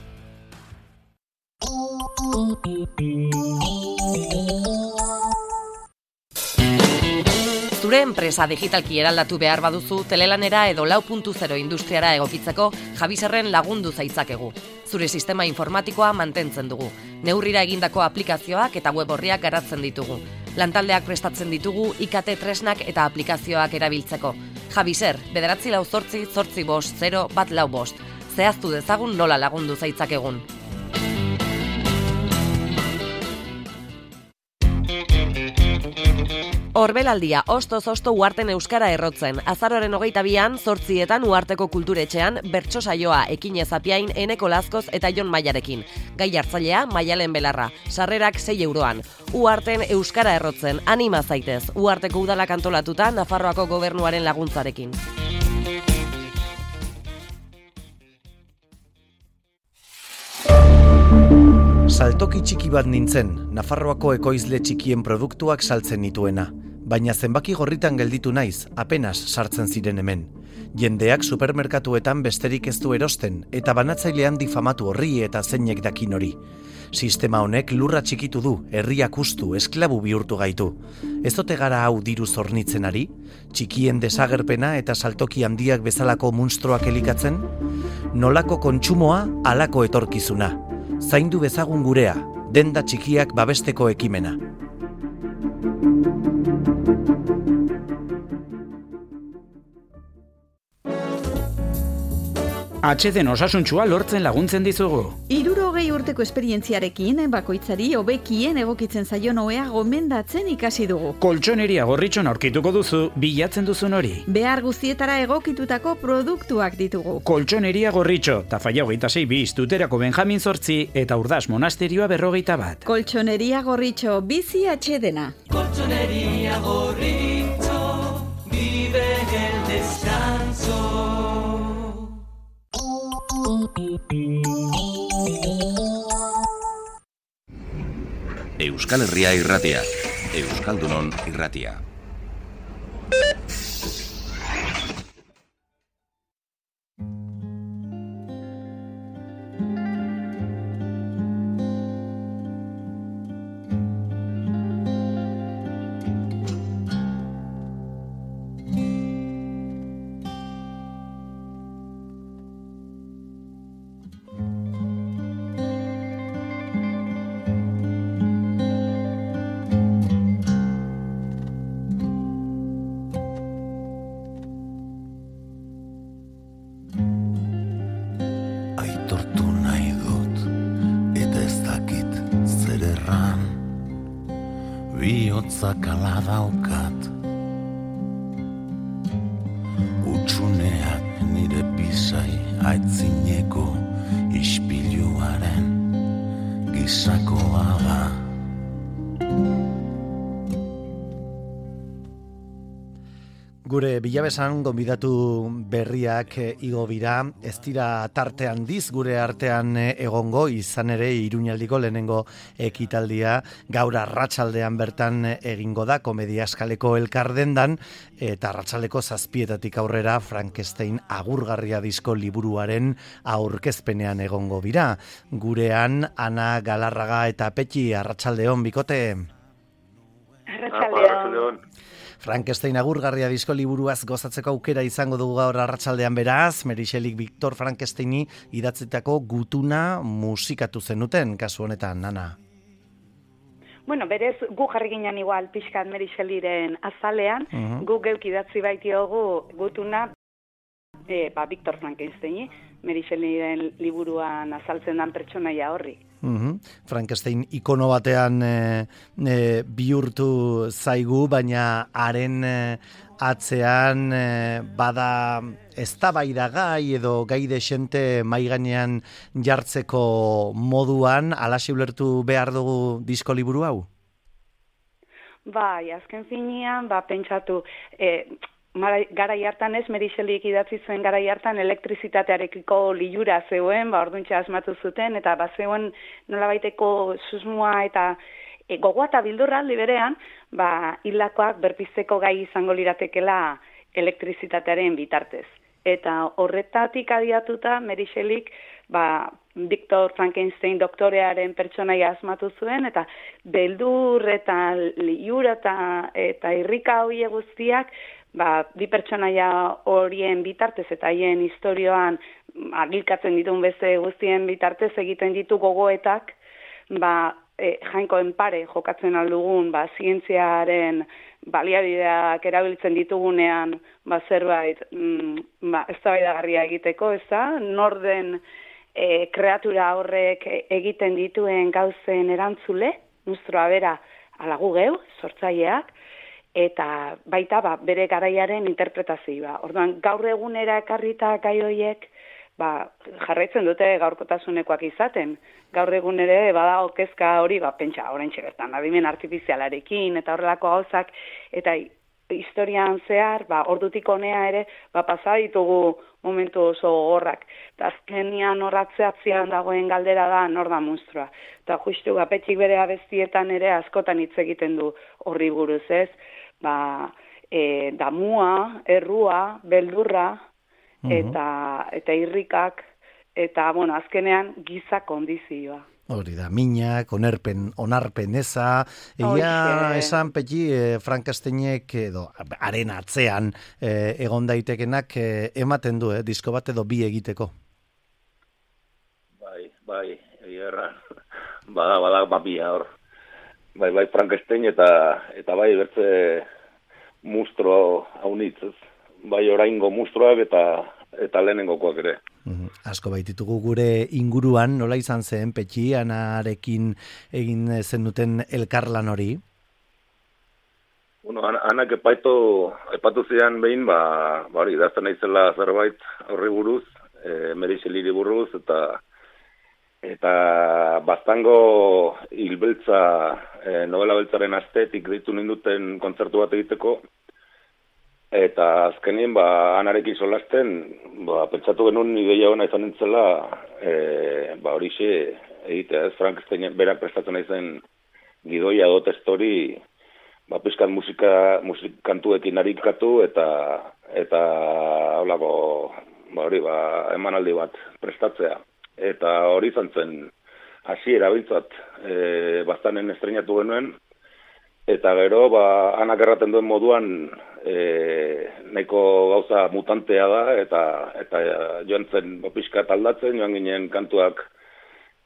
[SPEAKER 2] Zure enpresa digitalki eraldatu behar baduzu, telelanera edo lau puntu zero industriara egokitzeko Javiserren lagundu zaitzakegu. Zure sistema informatikoa mantentzen dugu. Neurrira egindako aplikazioak eta web orriak garatzen ditugu. Lantaldeak prestatzen ditugu I K T tresnak eta aplikazioak erabiltzeko. Javiser, bederatzi lau zortzi, zortzi bost, zero, bat lau bost. Zehaztu dezagun nola lagundu zaitzakegun. Orbelaldia, ostoz osto Uharten euskara errotzen. Azaroaren hogeita bian, zortzietan Uharteko kulturetxean, bertso saioa Ekinez Apiain, Eneko Lazkoz eta Jon Maiarekin. Gai hartzailea, Maialen Belarra. Sarrerak sei euroan. Uharten euskara errotzen, anima zaitez. Uharteko udalak antolatuta, Nafarroako gobernuaren laguntzarekin.
[SPEAKER 3] Saltoki txiki bat nintzen, Nafarroako ekoizle txikien produktuak saltzen nituena. Baina zenbaki gorritan gelditu naiz, apenas sartzen ziren hemen. Jendeak supermerkatuetan besterik ez du erosten, eta banatzailean difamatu horri eta zeinek dakin hori. Sistema honek lurra txikitu du, herriak ustu, esklabu bihurtu gaitu. Ez ote gara hau diru zornitzen ari? Txikien desagerpena eta saltoki handiak bezalako munstroak elikatzen? Nolako kontsumoa, halako etorkizuna. Zaindu bezagun gurea, denda txikiak babesteko ekimena.
[SPEAKER 18] H D N osasuntsua lortzen laguntzen dizugu.
[SPEAKER 13] Hirurogei urteko esperientziarekin, bakoitzari hobekien egokitzen zaion ohea gomendatzen ikasi dugu.
[SPEAKER 18] Koltxoneria Gorritxon aurkituko duzu, bilatzen duzun hori.
[SPEAKER 13] Behar guztietara egokitutako produktuak ditugu.
[SPEAKER 18] Koltxoneria Gorritxo, Tafaia hogeita sei bis, Tuterako Benjamin zortzi eta Urdaz Monasterioa berrogeita bat.
[SPEAKER 13] Koltxoneria Gorritxo, bizi H D N.
[SPEAKER 6] Koltxoneria Gorritxo, vive el descanso.
[SPEAKER 15] Euskal Herria irratia, Euskaldunon irratia.
[SPEAKER 4] Kala daukat Utsuneak zai aitzineko ispiluaren gizakoa da.
[SPEAKER 3] Gure bilabesan gonbidatu berriak igo bira, ez dira tarte handiz gure artean egongo, izan ere Iruñaldiko lehenengo ekitaldia gaur arratsaldean bertan egingo da, komedia eskaleko elkardendan, eta arratsaldeko zazpietatik aurrera Frankenstein agurgarria disko liburuaren aurkezpenean egongo bira. Gurean Ana Galarraga eta Petxi, arratsaldeon bikote.
[SPEAKER 22] Arratsaldeon.
[SPEAKER 3] Frankenstein agurgarria disko liburuaz gozatzeko aukera izango dugu gaur arratsaldean beraz, Merixelik Victor Frankensteini idatzitako gutuna musikatu zenuten, kasu honetan, Nana.
[SPEAKER 21] Bueno, berez, gu jarri ginen igual pixkat Merixeliren azalean, uh-huh. gu geuk idatzi baitiogu gutuna e, ba, Victor Frankensteini, Merixeliren liburuan azaltzen dan pertsonaia horri.
[SPEAKER 3] Uhum. Frankenstein ikono batean e, e, bihurtu zaigu, baina haren e, atzean e, bada eztabaidagai edo gai desente mai gainean jartzeko moduan, alaxe ulertu behar dugu disko liburu hau?
[SPEAKER 21] Bai, azken finean, ba, pentsatu, e, garai hartan ez, Merixelik idatzi zuen garai hartan elektrizitatearekiko liura zeuen, ba, orduntxe asmatu zuten, eta ba, zeuen nolabaiteko susmoa eta e, gogoa eta bildurra liberean, ba, hilakoak berpizteko gai izango liratekela elektrizitatearen bitartez. Eta horretatik adiatuta Merixelik, ba, Victor Frankenstein doktorearen pertsonaia asmatu zuen, eta beldur eta liura eta, eta irrika hoie guztiak, ba, bi pertsonaia horien bitartez eta haien historioan agilkatzen ditun beste guztien bitartez egiten ditu gogoetak, ba, e, jainkoen pare jokatzen aldugun, ba, zientziaren baliabideak erabiltzen ditugunean, ba, zerbait, mm, ba, eztabaidagarria egiteko, ez da, norden e, kreatura horrek egiten dituen gauzen erantzule, nustroa bera alagu geu, sortzaileak, eta baita ba, bere garaiaren interpretazioa. Orduan, gaur egunera ekarrita gai horiek, ba, jarraitzen dute gaurkotasunekoak izaten. Gaur egun ere badago kezka hori, ba, pentsa, oraintxe bertan, adimen artifizialarekin, eta horrelako gauzak, eta historian zehar, ba, ordutik honea ere, ba, pasa ditugu momentu oso gogorrak. Eta azkenian horratzeatzean dagoen galdera da nor da monstrua. Eta justu, ba, Petxik bere abestietan ere askotan hitz egiten du horri buruz, ez? Ba, e, damua, errua, beldurra, eta, eta irrikak, eta, bueno, azkenean giza kondizioa.
[SPEAKER 3] Hori da, minak, onerpen, onarpen eza, egia esan Petxi, eh, Frankensteinek edo haren atzean eh, egon daitekenak eh, ematen du, eh, disko bat edo bi egiteko.
[SPEAKER 22] Bai, bai, egia erran, bada, bada, babia hor. Bai, bai, Frankenstein eta eta bai bertze mustro haunitzez. Bai oraingo mustroak eta eta lehenengokoak ere.
[SPEAKER 3] Mm, asko baititugu gure inguruan, nola izan zen Petxi, Anarekin egin zenuten elkarlan hori?
[SPEAKER 22] Bueno, Anak epaitu, epatu zian behin, ba, ba hori, idazten naizela zerbait horri buruz, e, Merixeliri buruz, eta eta baztango hilbeltza, e, novela beltzaren astetik ditu ninduten kontzertu bat egiteko, eta azkenien, ba, Anarekin solasten, ba, pentsatu genuen ideia hona izan nintzela, e, ba, horixe egitea, ez, Frankenstein berak prestatzen naizen gidoia do testori, ba, pizkat musika, musikantuekin arikatu, eta, eta, holako, ba, hori, ba, emanaldi bat prestatzea. Eta hori izan zen hasiera biltzat e, bastanen estrenatu genuen, eta gero ba, Anak erraten duen moduan e, nahiko gauza mutantea da, eta eta joan zen pixkat aldatzen, joan ginen kantuak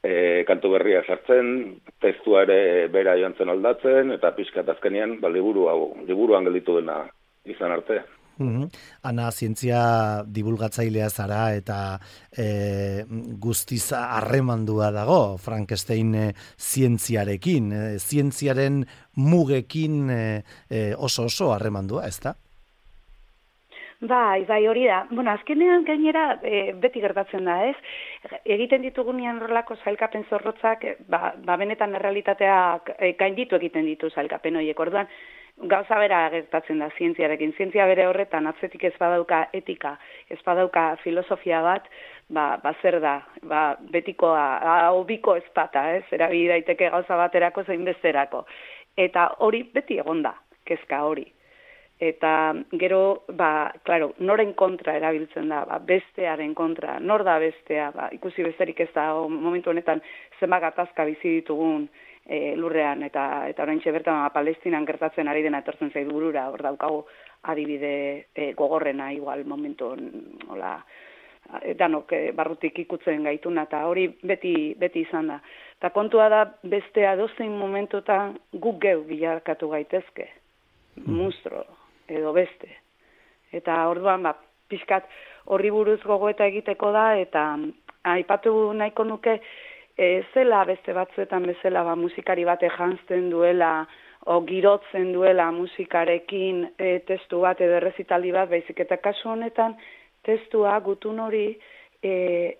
[SPEAKER 22] e, kantu berria sartzen, testua ere bera joan zen aldatzen, eta pixkat azkenean ba, liburu hau, liburuan gelditu dena izan arte.
[SPEAKER 3] Mm-hmm. Ana, zientzia divulgatzailea zara eta e, guztiz harremandua dago Frankenstein e, zientziarekin, e, zientziaren mugekin e, e, oso oso harremandua, ez da?
[SPEAKER 5] Bai, bai, hori da. Bueno, azkenean gainera e, beti gertatzen da, ez? Egiten ditugunean horrelako sailkapen zorrotzak, ba, ba benetan errealitateak e, gainditu egiten ditu sailkapen horiek. Orduan, gauza bera gertatzen da zientziarekin. Zientzia bere horretan atzetik ez badauka etika, ez badauka filosofia bat, ba, ba zer da, ba, betikoa, hau biko ezpata, ez? Erabili daiteke gauza baterako zein besterako. Eta hori beti egon da, kezka hori. Eta gero, ba, claro, noren kontra erabiltzen da, ba, bestearen kontra, nor da bestea, ba, ikusi besterik ez da, o, momentu honetan zenbat gatazka bizi ditugun e, lurrean, eta eta oraintxe bertan ba, Palestinan gertatzen ari dena etortzen zaidu burura, hor daukagu adibide e, gogorrena, igual momentu, hola, danok e, barrutik ikutzen gaituna, eta hori beti, beti izan da. Eta kontua da bestea dozein momentutan guk geu bilakatu gaitezke, monstro edo beste. Eta orduan, ba, pixkat horri buruz gogoeta egiteko da, eta aipatu nahiko nuke, e, zela beste batzuetan bezala, ba, musikari bate janzten duela, o girotzen duela musikarekin e, testu bat edo errezitaldi bat, baizik eta kasu honetan, testua gutun hori e,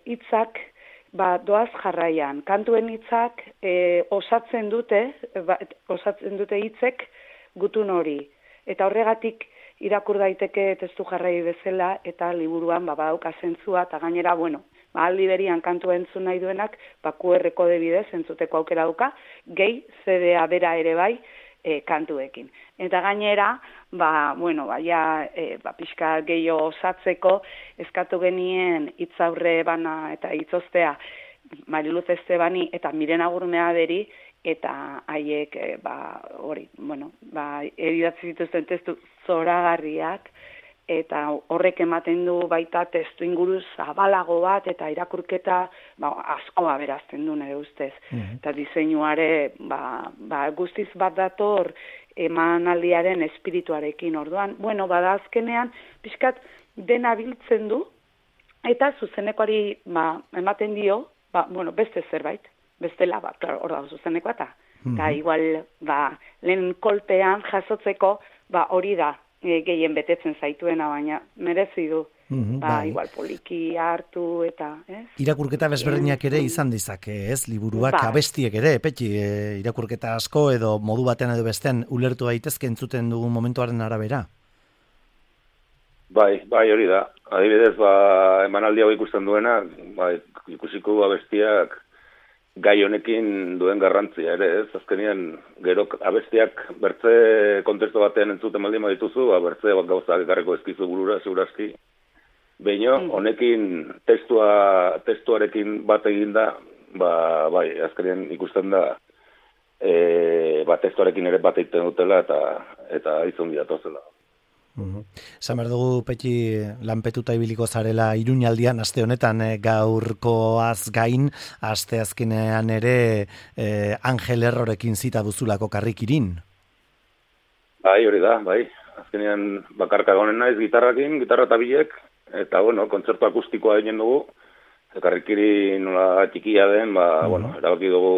[SPEAKER 5] hitzak ba, doaz jarraian. Kantuen hitzak e, osatzen dute, ba, osatzen dute hitzek gutun hori. Eta horregatik irakur daiteke testu jarrai bezala eta liburuan ba, badauka zentzua, eta gainera, bueno, ba, aldi berian kantua entzun nahi duenak, ba, Q R kode bidez entzuteko aukera dauka, gehi C D A bera ere bai e, kantuekin. Eta gainera, ba, bueno, ba, ja, e, ba, pixka gehiago osatzeko, eskatu genien hitzaurre bana eta hitzostea Mariluz Estebani eta Miren Agurmea beri, eta haiek, e, ba, hori, bueno, ba, edidatzi zituzten testu zoragarriak, eta horrek ematen du baita testu inguru zabalago bat, eta irakurketa ba, askoa berazten du nire ustez. Mm-hmm. Eta diseinuare, ba, ba, guztiz bat dator emanaldiaren espirituarekin orduan. Bueno, bada azkenean, pixkat dena biltzen du, eta zuzenekoari ba, ematen dio, ba, bueno, beste zerbait. Bestela, ba, hor da, zuzeneko eta, mm-hmm. eta igual, ba, lehen kolpean jasotzeko, ba, hori da, e, gehien betetzen zaituena, baina merezi du, mm-hmm, ba, bai. Igual poliki hartu eta, ez?
[SPEAKER 3] Irakurketa bezberdinak ere izan dizake, ez? Liburuak, ba. Abestiek ere, petxi, e, irakurketa asko edo modu batean edo bestean ulertu daitezke entzuten dugun momentuaren arabera?
[SPEAKER 22] Bai, bai, hori da. Adibidez, ba, emanaldi hau ikusten duena, ba, ikusiko abestiak gai honekin duen garrantzia ere, ez? Azkenean, gero abestiak bertze kontestu batean entzuten baldin badituzu, ba, bertze bat gauzak ekarreko ezkizu burura, segurazki. Beino, honekin testua, testuarekin bat eginda, ba, bai, azkenean ikusten da, e, ba, testuarekin ere bat egiten dutela, eta, eta izun diatozela.
[SPEAKER 3] Esan behar dugu, Petxi, lanpetuta ibiliko zarela Iruñaldian aste honetan e, gaurkoaz gain, aste azkenean ere e, Angel Errorekin zita duzulako karrikirin.
[SPEAKER 22] Bai, hori da, bai. Azkenean bakarka gonen naiz gitarrakin, gitarra eta bilek, eta, bueno, kontzertu akustikoa egin dugu, karrikirin nola txikia den, ba, mm-hmm. bueno, erabaki dugu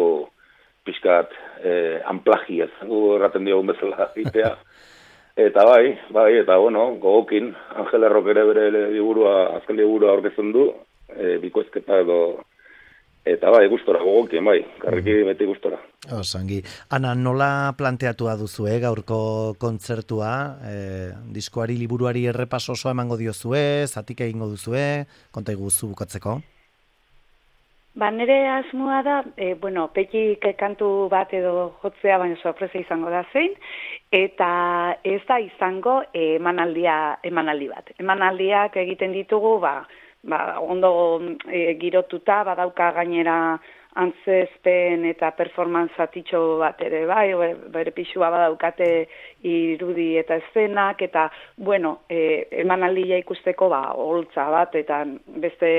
[SPEAKER 22] pixkat eh, amplagiez, gu erraten diogun bezala itea. Eta bai, bai, eta bueno, gogokin, Angel Errok ere bere liburua, azken liburua aurkezten du, e, bikoizketa edo, eta bai, gustora, gogokin, bai, karriki beti gustora.
[SPEAKER 3] Osangi. Ana, nola planteatua duzu, eh, gaurko kontzertua, e, diskoari liburuari errepaso osoa emango diozue, zatik egingo duzue, konta iguzu bukatzeko?
[SPEAKER 5] Ba, nire asmoa da, e, bueno, Petxik kantu bat edo jotzea, baina sorpresa izango da zein, eta ez da izango emanaldia, emanaldi bat. Emanaldiak egiten ditugu, ba, ba ondo e, girotuta, badauka gainera antzezpen eta performance atitxo bat ere, bai, bere pixua badaukate irudi eta eszenak, eta, bueno, e, emanaldia ikusteko, ba, holtza bat, eta beste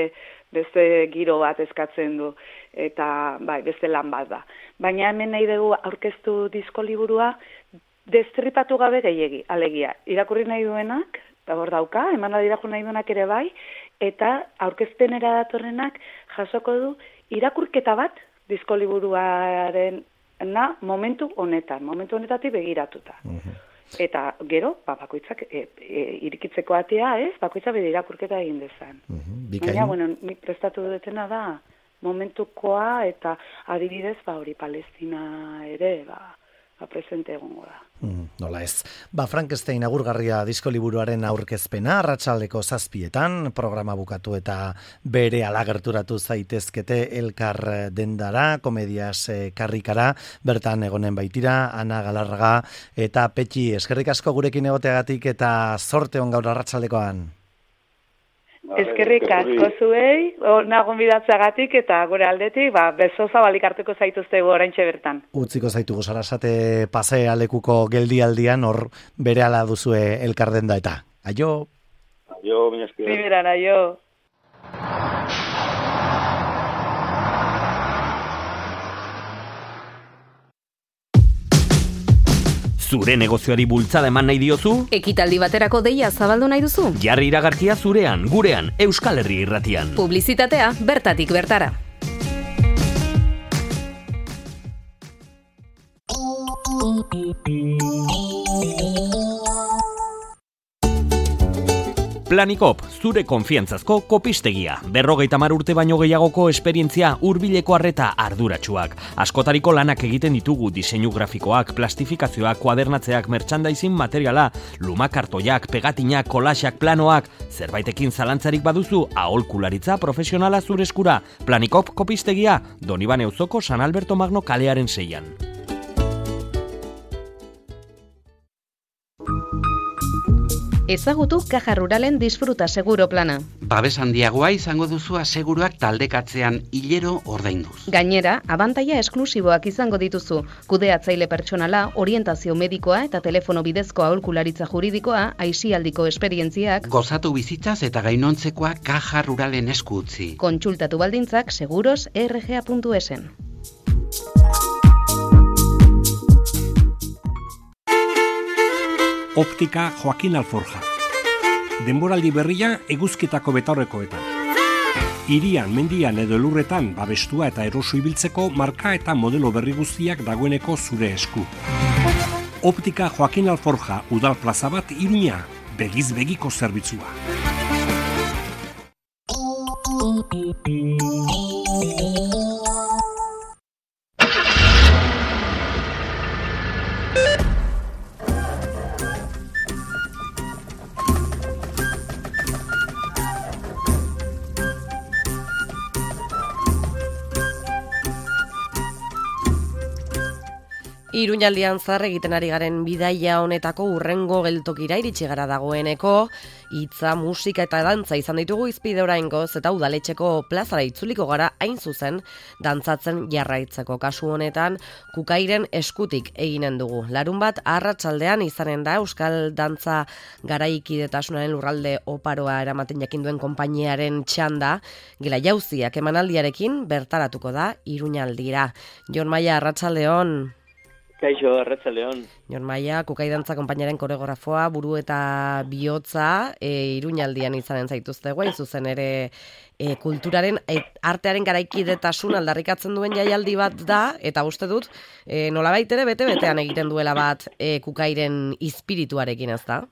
[SPEAKER 5] beste giro bat eskatzen du, eta bai, beste lan bat da. Baina hemen nahi dugu aurkeztu disko liburua, destripatu gabe gehiegi, alegia. Irakurri nahi duenak, eta hor dauka, emanaldi irakurri nahi duenak ere bai, eta aurkezpenera datorrenak jasoko du irakurketa bat disko liburuaren na momentu honetan, momentu honetatik begiratuta. Uh-huh. Eta gero, ba, bakoitzak e, e, irikitzeko atea, ez? Bakoitzak bere irakurketa egin dezan.
[SPEAKER 3] Bikain.
[SPEAKER 5] Baina, bueno, nik prestatu dutena da momentukoa eta adibidez, ba, hori Palestina ere, ba, ba presente egongo da.
[SPEAKER 3] Mm, nola ez. Ba, Frankenstein agurgarria diskoliburuaren aurkezpena, arratsaldeko zazpietan, programa bukatu eta bere alagerturatu zaitezkete elkar dendara, komediaz eh, karrikara, bertan egonen baitira, Ana Galarraga eta Petxi, eskerrik asko gurekin egoteagatik eta zorte on gaur arratsaldekoan.
[SPEAKER 5] Eskerrik asko zuei, nagon bidatzeagatik eta gure aldetik, ba, beso zabalik hartuko zaituztegu oraintxe bertan.
[SPEAKER 3] Utziko zaitugu Sarasate pasea lekuko geldialdian, hor berehala duzue elkardenda eta. Aio!
[SPEAKER 22] Aio, mila esker.
[SPEAKER 5] Primeran, aio!
[SPEAKER 14] Zure negozioari bultzada eman nahi diozu?
[SPEAKER 1] Ekitaldi baterako deia zabaldu nahi duzu?
[SPEAKER 14] Jarri iragarkia zurean, gurean, Euskal Herri Irratian.
[SPEAKER 1] Publizitatea bertatik bertara.
[SPEAKER 14] Planikop, zure konfiantzazko kopistegia. Berrogeita hamar urte baino gehiagoko esperientzia, hurbileko arreta arduratsuak. Askotariko lanak egiten ditugu diseinu grafikoak, plastifikazioak, kuadernatzeak, merchandising materiala, lumakartoiak, pegatinak, kolaxak, planoak. Zerbaitekin zalantzarik baduzu, aholkularitza profesionala zure eskura. Planikop kopistegia, Donibane auzoko San Alberto Magno kalearen seian.
[SPEAKER 1] Ezagutu Caja Ruralen disfruta seguro plana.
[SPEAKER 19] Babes handiagoa izango duzu aseguruak taldekatzean hilero ordainduz.
[SPEAKER 1] Gainera, abantaila esklusiboak izango dituzu. Kudeatzaile pertsonala, orientazio medikoa eta telefono bidezko aholkularitza juridikoa, aisialdiko esperientziak.
[SPEAKER 19] Gozatu bizitzaz eta gainontzekoa Caja Ruralen esku utzi.
[SPEAKER 1] Kontsultatu baldintzak seguros erre ge a puntu esen.
[SPEAKER 7] Optika Joaquin Alforja. Denboraldi berria eguzkitako betaurrekoetan. Hirian, mendian edo elurretan babestua eta eroso ibiltzeko marka eta modelo berri guztiak dagoeneko zure esku. Optika Joaquin Alforja udal plaza bat Iruña, begiz begiko zerbitzua.
[SPEAKER 2] Iruñaldian zar egiten ari garen bidaia honetako urrengo geltokira iritsi gara dagoeneko, hitza, musika eta dantza izan ditugu izpide oraingoz eta udaletxeko plazara itzuliko gara hain zuzen dantzatzen jarraitzeko. Kasu honetan Kukairen eskutik eginen dugu. Larun bat arratsaldean izanen da Euskal Dantza Garaikidetasunaren lurralde oparoa eramaten jakin duen konpainiaren txanda, Gela Jauziak emanaldiarekin bertaratuko da Iruñaldira. Jon Maia, arratsaldeon.
[SPEAKER 10] Kaixo, arratsaldeon.
[SPEAKER 2] Jon Maia, Kukai Dantza konpainiaren koreografoa, buru eta bihotza, e, Iruñaldian izanen zaituzte guain zuzen ere e, kulturaren, e, artearen garaikidetasun aldarrikatzen duen jaialdi bat da, eta uste dut, e, nolabait ere bete-betean egiten duela bat e, Kukairen izpirituarekin, ez da?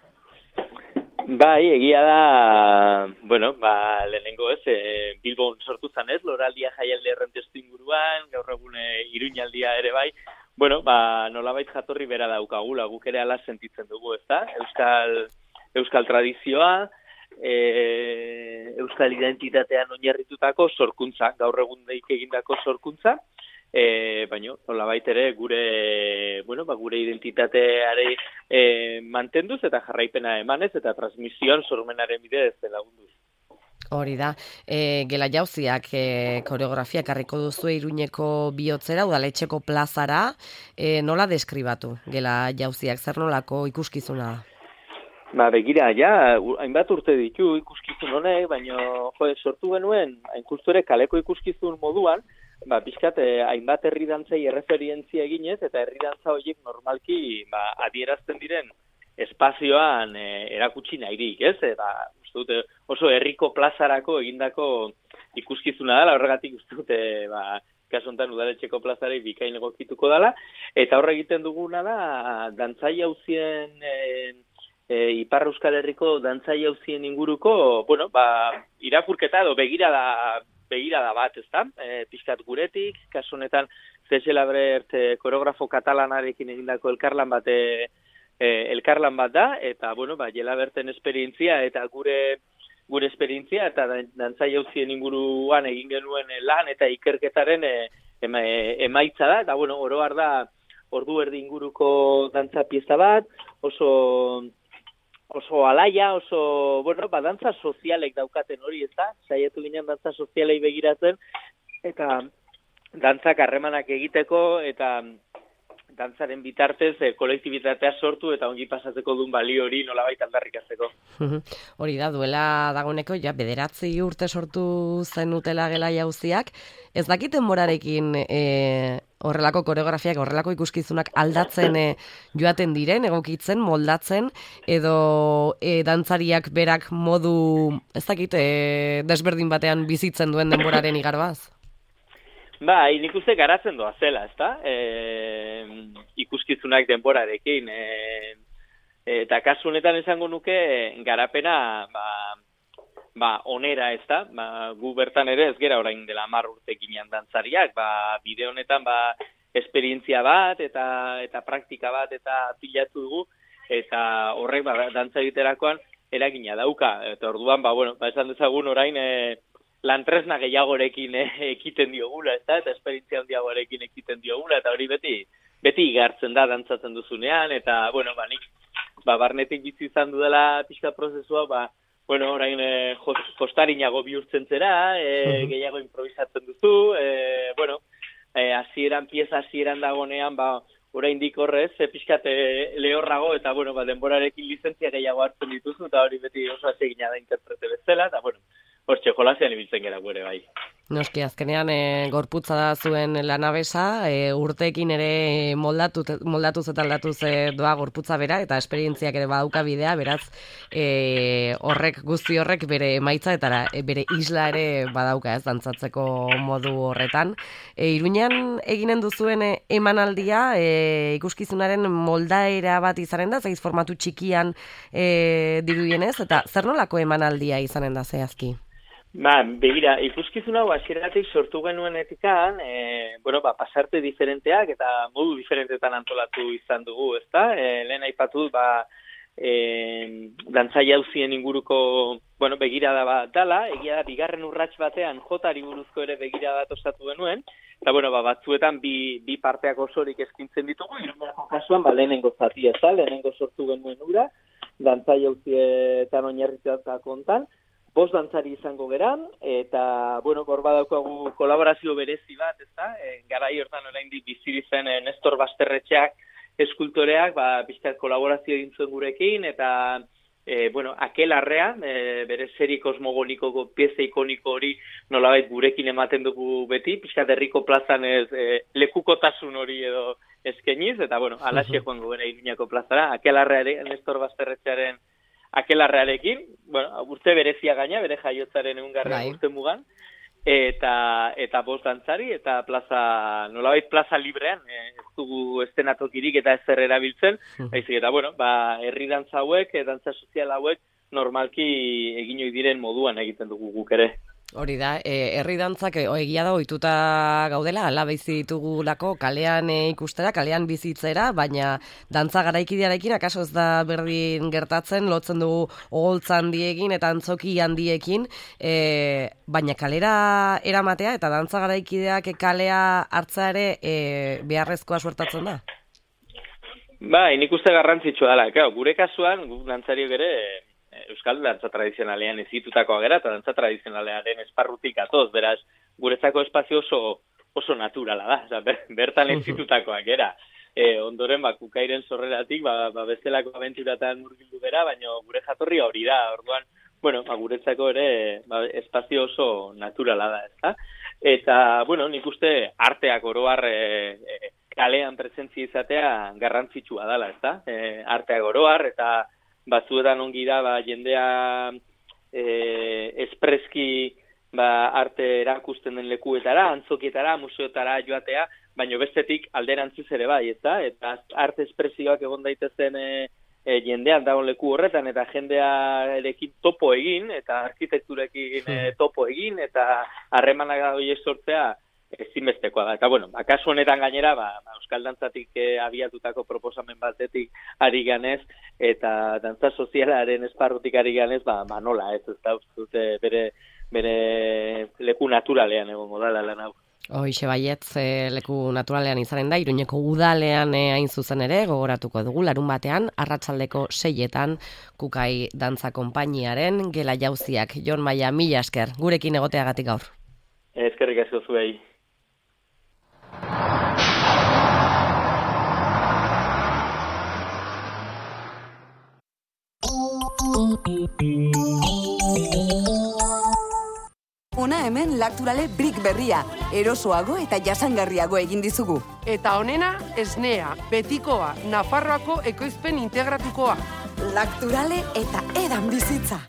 [SPEAKER 10] Bai, egia da, bueno, ba, lehenengo ez, e, Bilbon sortu zanez, loraldia jaialdi errentestu inguruan, gaur egun e, Iruñaldia ere bai, bueno, ba, nolabait jatorri bera daukagula, guk ere ala sentitzen dugu, ez da? Euskal, Euskal tradizioa, e, Euskal identitatean oinarritutako sorkuntza, gaur egun deik egindako sorkuntza, e, baina nolabait ere gure, bueno, ba, gure identitateare e, mantenduz eta jarraipena emanez eta transmisioan sormenaren bidez lagunduz.
[SPEAKER 2] Hori da, e, Gela Jauziak e, koreografia karriko duzu Iruñeko bihotzera, udaletxeko plazara, e, nola deskribatu Gela Jauziak, zer nolako ikuskizuna da?
[SPEAKER 10] Ba, begira, ja, hainbat urte ditu ikuskizun honek, baina jo, sortu genuen, hain ere kaleko ikuskizun moduan, ba, pixkat, eh, hainbat herri dantzei erreferientzia eginez, eta herri dantza horiek normalki ba, adierazten diren espazioan eh, erakutsi nahirik, ez? Eta, uste dute, oso herriko plazarako egindako ikuskizuna dela, horregatik uste dute, ba, kasu honetan udaletxeko plazari bikain egokituko dela, eta horre egiten duguna da, dantzai hauzien, e, e, Ipar Euskal Herriko dantzai hauzien inguruko, bueno, ba, irakurketa edo begirada, begirada bat, ez da? E, pixkat guretik, kasu honetan, Zesela Brert e, koreografo katalanarekin egindako elkarlan bat, e, e, elkarlan bat da, eta, bueno, ba, Jela Berten esperientzia, eta gure gure esperientzia, eta dantzai hauzien inguruan egin genuen lan, eta ikerketaren e, ema, e, emaitza da, eta, bueno, oro har da, ordu erdi inguruko dantza pieza bat, oso oso alaia, oso, bueno, ba, dantza sozialek daukaten hori, ez da? Saiatu ginen dantza sozialei begiratzen, eta dantzak harremanak egiteko, eta dantzaren bitartez e, kolektibitatea sortu eta ongi pasatzeko duen balio hori nolabait aldarrikatzeko.
[SPEAKER 2] Hori da, duela dagoeneko, ja, bederatzi urte sortu zenutela gela jauziak, ez dakit denborarekin e, horrelako koreografiak, horrelako ikuskizunak aldatzen e, joaten diren, egokitzen, moldatzen, edo e, dantzariak berak modu, ez dakit, e, desberdin batean bizitzen duen denboraren igarbaz?
[SPEAKER 10] Ba, nik uste garatzen doa zela, ezta? E, ikuskizunak denborarekin. E, eta kasu honetan esango nuke garapena ba, ba, onera, ezta? Ba, gu bertan ere ez gera orain dela hamar urte ginean dantzariak. Ba, bide honetan ba, esperientzia bat eta eta praktika bat eta pilatu dugu. Eta horrek ba, dantza egiterakoan eragina dauka. Eta orduan, ba, bueno, ba, esan dezagun orain... E, lantresna gehiagorekin eh, ekiten diogula, ez da? Eta esperientzia handiagorekin ekiten diogula, eta hori beti beti igartzen da dantzatzen duzunean, eta, bueno, ba, nik, ba, barnetik bizi izan dudala pixka prozesua, ba, bueno, orain eh, jostarinago bihurtzen zera, eh, gehiago improvisatzen duzu, eh, bueno, eh, hasieran, pieza hasieran dagonean, ba, orain dik horrez, eh, pixkat eh, lehorrago, eta, bueno, ba, denborarekin lizentzia gehiago hartzen dituzu, eta hori beti oso atsegina da interprete bezala, eta, bueno, hortxe, jolasean ibiltzen gara gure bai.
[SPEAKER 2] Noski, azkenean e, gorputza da zuen lanabesa, e, urteekin ere moldatu, moldatuz eta aldatuz e, doa gorputza bera, eta esperientziak ere badauka bidea, beraz, e, horrek, guzti horrek bere emaitza eta e, bere isla ere badauka, ez, dantzatzeko modu horretan. E, Iruñan eginen duzuen e, emanaldia, e, ikuskizunaren moldaera bat izanen da, zaiz formatu txikian e, dirudienez, eta zer nolako emanaldia izanen da zehazki?
[SPEAKER 10] Ba, begira, ikuskizun hau hasieratik sortu genuen etikan, e, bueno, ba, pasarte diferenteak eta modu diferentetan antolatu izan dugu, ezta? E, lehen aipatu, ba, e, dantzai hauzien inguruko, bueno, begirada bat dala, egia da, bigarren urrats batean jotari buruzko ere begirada bat osatu genuen, eta, bueno, ba, batzuetan bi, bi parteak osorik eskintzen ditugu, Iruñako kasuan, ba, lehenengo zatia, ezta? Lehenengo sortu genuen ura, dantzai hauzietan oinarritutako kontan, bost dantzari izango geran, eta, bueno, hor badaukagu kolaborazio berezi bat, ez da? E, garai hortan oraindik bizi zen e, Nestor Basterretxeak eskultoreak, ba, pixkat kolaborazio egin zuen gurekin, eta, e, bueno, Akelarrean, e, bere seri kosmogonikoko pieza ikoniko hori nolabait gurekin ematen dugu beti, pixkat herriko plazan ez e, lekukotasun hori edo eskeniz, eta, bueno, alaxe joango gara Iruñako plazara, Akelarrearen, Nestor Basterretxearen Akelarrearekin, bueno, urte berezia gaina, bere jaiotzaren egungarren urte mugan, eta eta bost dantzari, eta plaza, nolabait plaza librean, ez dugu estenatokirik eta ezer erabiltzen, baizik eta, bueno, ba, herri dantza hauek, dantza sozial hauek, normalki egin ohi diren moduan egiten dugu guk ere.
[SPEAKER 2] Hori da, e, herri dantzak e, egia da ohituta gaudela, ala bizi ditugulako kalean e, ikustera, kalean bizitzera, baina dantza garaikidearekin akaso ez da berdin gertatzen, lotzen dugu oholtza handiekin eta antzoki handiekin, e, baina kalera eramatea eta dantza garaikideak kalea hartza ere e, beharrezkoa suertatzen da?
[SPEAKER 10] Ba, nik uste garrantzitsua dela, claro, gure kasuan, gu dantzariok ere, Euskal dantza tradizionalean ezitutakoa gera, eta dantza tradizionalearen esparrutik atoz, beraz, guretzako espazio oso, oso naturala da, oza, ber, bertan ezitutakoa gera. E, ondoren, ba, kukairen sorreratik, ba, ba bestelako abenturatan murgildu gera, baina gure jatorria hori da, orduan, bueno, ba, guretzako ere ba, espazio oso naturala da, ezta? Eta, bueno, nik uste arteak oroar e, e, kalean presentzia izatea garrantzitsua dela, ezta? E, arteak oroar, eta batzuetan ongi da, ba, jendea e, espreski ba, arte erakusten den lekuetara, antzokietara, museotara joatea, baina bestetik alderantziz ere bai, eta, eta arte espresioak egon daitezen e, e, jendean dagoen leku horretan, eta jendearekin topo egin, eta arkitekturekin e, topo egin, eta harremanak horiek sortzea, ezinbestekoa da. Eta, bueno, akaso honetan gainera, ba, Euskal Dantzatik e, abiatutako proposamen batetik ari ganez, eta dantza sozialaren esparrutik ari ganez, ba, ba nola, ez, ez da, uste, bere, bere leku naturalean egongo dala lan hau.
[SPEAKER 2] Hoixe baietz, e, leku naturalean izanen da, Iruñeko udalean e, hain zuzen ere, gogoratuko dugu, larun batean, arratsaldeko seietan, Kukai Dantza Konpainiaren gela jauziak. Jon Maia, mila esker, gurekin egoteagatik gaur.
[SPEAKER 10] Eskerrik asko zuei.
[SPEAKER 8] Ona hemen Lacturale Brick berria, erosoago eta jasangarriago egin dizugu.
[SPEAKER 11] Eta honena, esnea, betikoa, Nafarroako ekoizpen integratukoa.
[SPEAKER 8] Lacturale eta edan bizitza.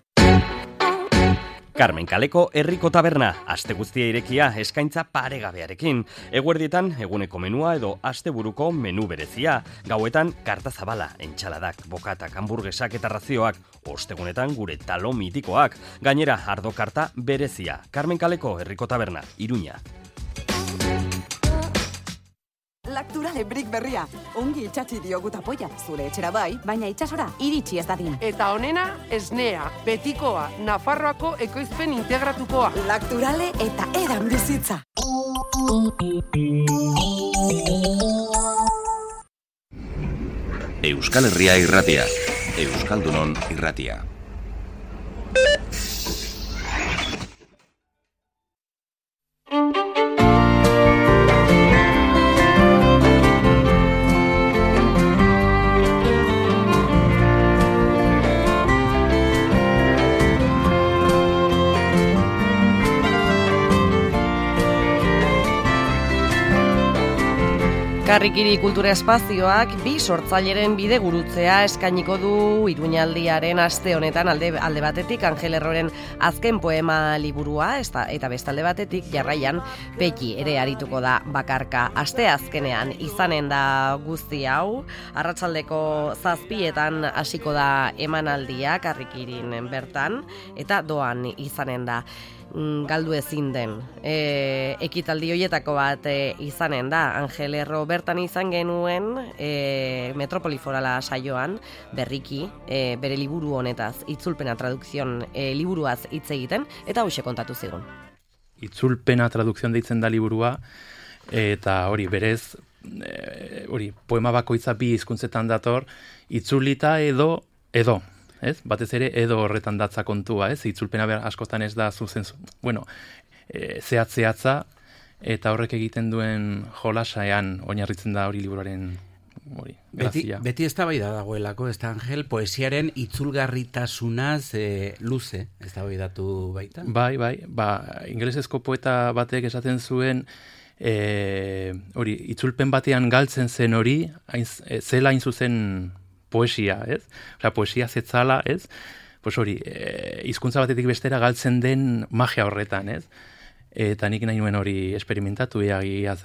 [SPEAKER 14] Carmen Kaleko herriko taberna, aste guztia irekia eskaintza paregabearekin. Eguerdietan eguneko menua edo asteburuko menu berezia. Gauetan karta zabala, entxaladak, bokatak, hamburguesak eta razioak. Ostegunetan gure talo mitikoak. Gainera, ardo karta berezia. Carmen Kaleko herriko taberna, Iruña.
[SPEAKER 8] Lacturale Brick berria, ongi itxatzi diogu tapoia, zure etxera bai, baina itxasora iritsi ez dadin.
[SPEAKER 11] Eta honena, esnea, betikoa, Nafarroako ekoizpen integratukoa.
[SPEAKER 8] Lacturale eta edan bizitza.
[SPEAKER 15] Euskal Herria irratia, Euskaldunon irratia.
[SPEAKER 2] Karrikiri kultura espazioak bi sortzaileren bide gurutzea eskainiko du Iruñaldiaren aste honetan alde, alde batetik Angel Erroren azken poema liburua eta, eta bestalde batetik jarraian Peki ere arituko da bakarka. Aste azkenean izanen da guzti hau, arratsaldeko zazpietan hasiko da emanaldia Karrikirin bertan eta doan izanen da. Galdu ezin den e, ekitaldi hoietako bat e, izanen da. Angel Erro bertan izan genuen e, Metropoli Forala saioan berriki e, bere liburu honetaz, itzulpena tradukzion e, liburuaz hitz egiten, eta hoxe kontatu zigun.
[SPEAKER 23] Itzulpena tradukzion deitzen da liburua, eta hori berez e, hori poema bakoitza bi hizkuntzetan dator, itzulita edo edo ez? Batez ere edo horretan datza kontua, ez? Itzulpena ber askotan ez da zuzen, bueno, e, zehatzeatza eta horrek egiten duen jolasaean oinarritzen da hori liburuaren hori grazia.
[SPEAKER 19] Beti, beti eztabaida dagoelako, ez da Angel, poesiaren itzulgarritasunaz e, luze eztabaidatu baita.
[SPEAKER 23] Bai, bai, ba, ingelesezko poeta batek esaten zuen e, hori itzulpen batean galtzen zen hori, hain, e, zela hain zuzen poesia, ez? Osea, poesia zetzala, ez? Pues hori, e, hizkuntza batetik bestera galtzen den magia horretan, ez? Eta nik nahi nuen hori esperimentatu egia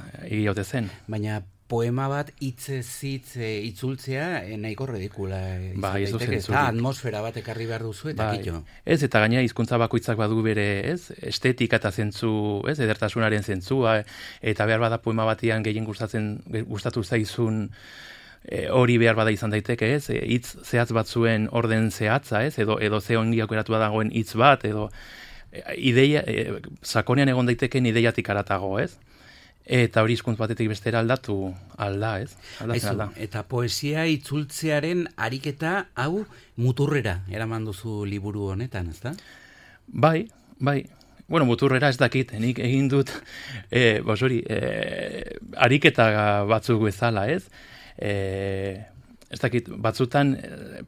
[SPEAKER 23] ote zen.
[SPEAKER 19] Baina poema bat hitzez hitz itzultzea nahiko ridikula izan
[SPEAKER 23] ba,
[SPEAKER 19] daiteke, eta atmosfera bat ekarri behar duzu eta
[SPEAKER 23] ba,
[SPEAKER 19] kito.
[SPEAKER 23] Ez, eta gaina hizkuntza bakoitzak badu bere, ez? Estetika eta zentzu, ez? Edertasunaren zentzua, eta behar bada poema batian gehien gustatzen gustatu zaizun E, hori behar bada izan daiteke, ez? E, hitz zehatz bat zuen orden zehatza, ez? Edo edo ze ongi aukeratua dagoen hitz bat, edo e, ideia e, sakonean egon daiteken ideiatik haratago, ez? Eta hori hizkuntz batetik bestera aldatu alda, ez? Aldatzen alda.
[SPEAKER 19] Eta poesia itzultzearen ariketa hau muturrera eraman duzu liburu honetan, ezta?
[SPEAKER 23] Bai, bai. Bueno, muturrera ez dakit, nik egin dut e, bos hori, e, ariketa batzuk bezala, ez? E, ez dakit, batzutan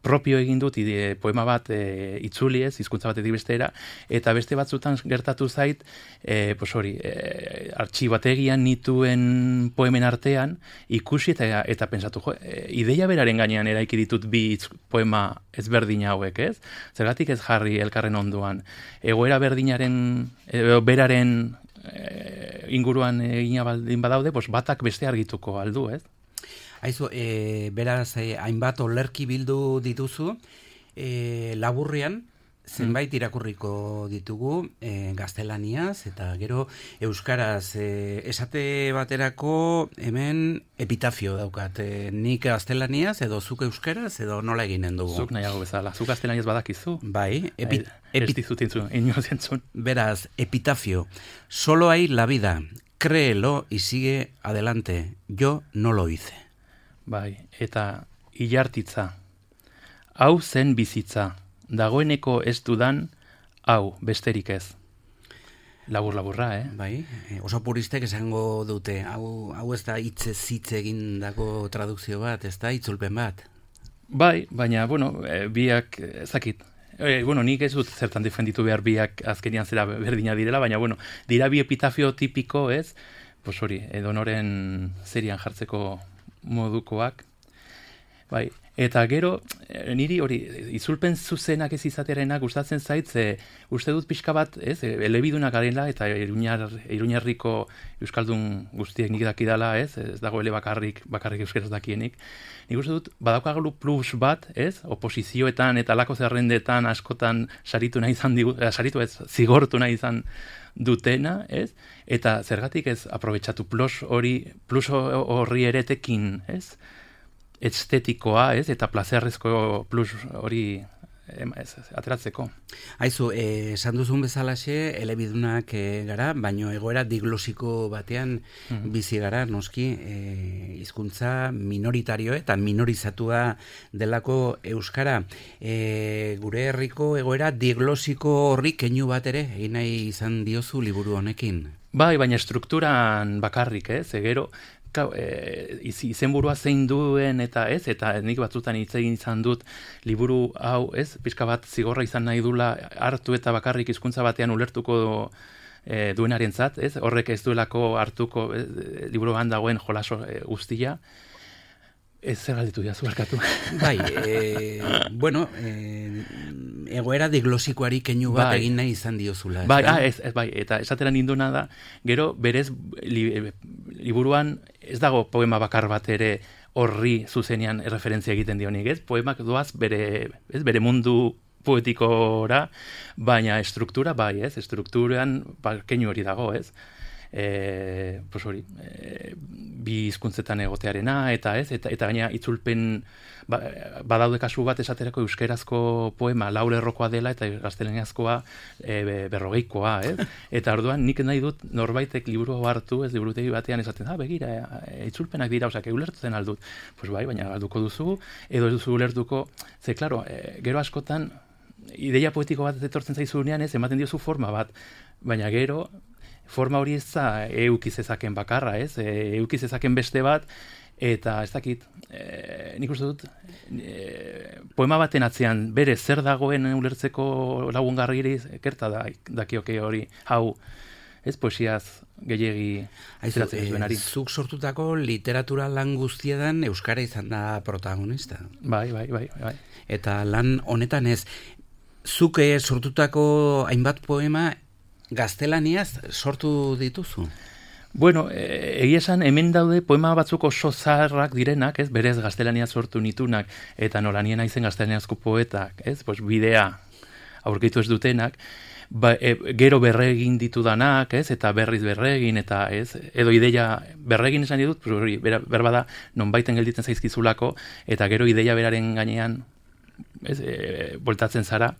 [SPEAKER 23] propio egin dut ide, poema bat e, itzuli ez, hizkuntza batetik bestera, eta beste batzutan gertatu zait, e, pues hori, e, artxibategian nituen poemen artean, ikusi eta, eta pensatu, jo, e, ideia beraren gainean eraiki ditut bi itz, poema ezberdin hauek, ez? Zergatik ez jarri elkarren ondoan. Egoera berdinaren, e, beraren e, inguruan egina baldin badaude, pues batak beste argituko aldu, ez?
[SPEAKER 19] Aizu, e, beraz, e, hainbat olerki bildu dituzu, e, laburrean, zenbait irakurriko ditugu e, gaztelaniaz, eta gero euskaraz, e, esate baterako hemen epitafio daukat, e, nik gaztelaniaz, edo zuk euskaraz, edo nola eginen dugu?
[SPEAKER 23] Zuk nahiago bezala, zuk gaztelaniaz badakizu.
[SPEAKER 19] Bai, epi,
[SPEAKER 23] epi, epi,
[SPEAKER 19] beraz, epitafio, solo hay la vida, créelo y sigue adelante, yo no lo hice.
[SPEAKER 23] Bai, eta ilartitza, hau zen bizitza, dagoeneko ez dudan, hau besterik ez. Labur-laburra, eh?
[SPEAKER 19] Bai, oso puristek esango dute, hau, hau ez da hitzez hitz egindako tradukzio bat, ez da itzulpen bat?
[SPEAKER 23] Bai, baina, bueno, e, biak, ezakit, e, bueno, nik ez dut zertan defenditu behar biak azkenian zera berdina direla, baina, bueno, dira bi epitafio tipiko, ez? Pues hori, edonoren serian jartzeko modukoak, bai, eta gero, niri hori, izulpen zuzenak ez izatearena gustatzen zait, ze uste dut pixka bat, ez, elebidunak garela, eta iruñar, iruñarriko euskaldun guztiek nik dakidala, ez, ez dago ele bakarrik, bakarrik euskeraz dakienik, nik uste dut, badaukagu plus bat, ez, oposizioetan eta lako zerrendetan askotan saritu nahi izan, digu, saritu ez, zigortu nahi izan dutena, ez? Eta zergatik ez aprobetxatu plus hori, plus horri eretekin, ez? Estetikoa, ez? Eta plazerrezko plus hori ez, ez, ateratzeko.
[SPEAKER 19] Aizu, esan eh, duzun bezalaxe, elebidunak eh, gara, baino egoera diglosiko batean mm. bizi gara, noski, eh, hizkuntza minoritario eta minorizatua delako euskara. Eh, gure herriko egoera diglosiko horri keinu bat ere, egin nahi izan diozu liburu honekin.
[SPEAKER 23] Bai, baina strukturan bakarrik, ez? Egero, E, izenburua zein duen eta ez, eta nik batzutan hitz egin izan dut liburu hau, ez, pixka bat zigorra izan nahi dula hartu eta bakarrik hizkuntza batean ulertuko e, duenarentzat, ez, horrek ez duelako hartuko e, liburuan dagoen jolaso e, guztia. Ez zer galditu diazu barkatu.
[SPEAKER 19] Bai, e, bueno, e, egoera diglosikoari keinu bat bai. Egin nahi izan diozula.
[SPEAKER 23] Bai, ah, ez, ez, bai, eta esatera ninduna da, gero berez li, liburuan ez dago poema bakar bat ere horri zuzenean referentzia egiten dionik, ez? Poemak doaz bere, ez, bere mundu poetikora, baina estruktura bai, ez? Estrukturan ba, keinu hori dago, ez? E, pues hori, e, bi hizkuntzetan egotearena, eta ez, eta, eta gaina itzulpen ba, badaude kasu bat esaterako euskerazko poema laur errokoa dela eta gaztelaniazkoa e, berrogeikoa, ez? Eta orduan nik nahi dut norbaitek liburu hartu, ez liburutegi batean esaten, ah, begira, e, itzulpenak dira, osak, ulertzen aldut. Pues bai, baina alduko duzu, edo ez duzu ulertuko, ze, klaro, e, gero askotan, ideia poetiko bat etortzen zaizunean, ez, ematen diozu forma bat, baina gero, forma hori ez da eukizezaken bakarra, ez? E, eukizezaken beste bat, eta ez dakit, e, nik uste dut, e, poema baten atzean bere zer dagoen ulertzeko lagungarri kerta da, dakioke hori, hau, ez poesiaz gehiegi zeratzen ez benari.
[SPEAKER 19] Zuk sortutako literatura lan guztietan euskara izan da protagonista.
[SPEAKER 23] Bai, bai, bai, bai.
[SPEAKER 19] Eta lan honetan ez, zuk sortutako hainbat poema gaztelaniaz sortu dituzu?
[SPEAKER 23] Bueno, e, egia esan hemen daude poema batzuk oso zaharrak direnak, ez, berez gaztelaniaz sortu nitunak, eta nolanien aizen gaztelaniazko poetak, ez, pues bidea aurkitu ez dutenak, ba, e, gero berregin ditudanak, ez, eta berriz berregin, eta ez, edo ideia berregin esan ditut, hori, berbada, nonbaiten gelditzen zaizkizulako, eta gero ideia beraren gainean, ez, e, boltatzen zara,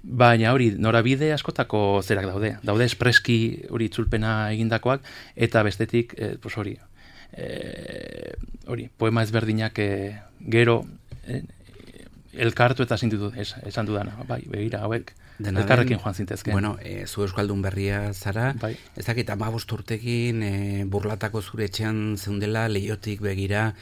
[SPEAKER 23] baina hori, norabide askotako zerak daude. Daude espreski hori itzulpena egindakoak, eta bestetik, eh, pues hori, eh, hori, poema ezberdinak eh, gero eh, elkartu eta zintitu es, esan dudana. Bai, begira, hauek,
[SPEAKER 19] Dena
[SPEAKER 23] elkarrekin
[SPEAKER 19] den,
[SPEAKER 23] joan zintezken.
[SPEAKER 19] Bueno, e, zu euskaldun berria zara,
[SPEAKER 23] bai.
[SPEAKER 19] Ez dakit hamabost urtekin e, burlatako zure etxean zeundela, Leiotik begira,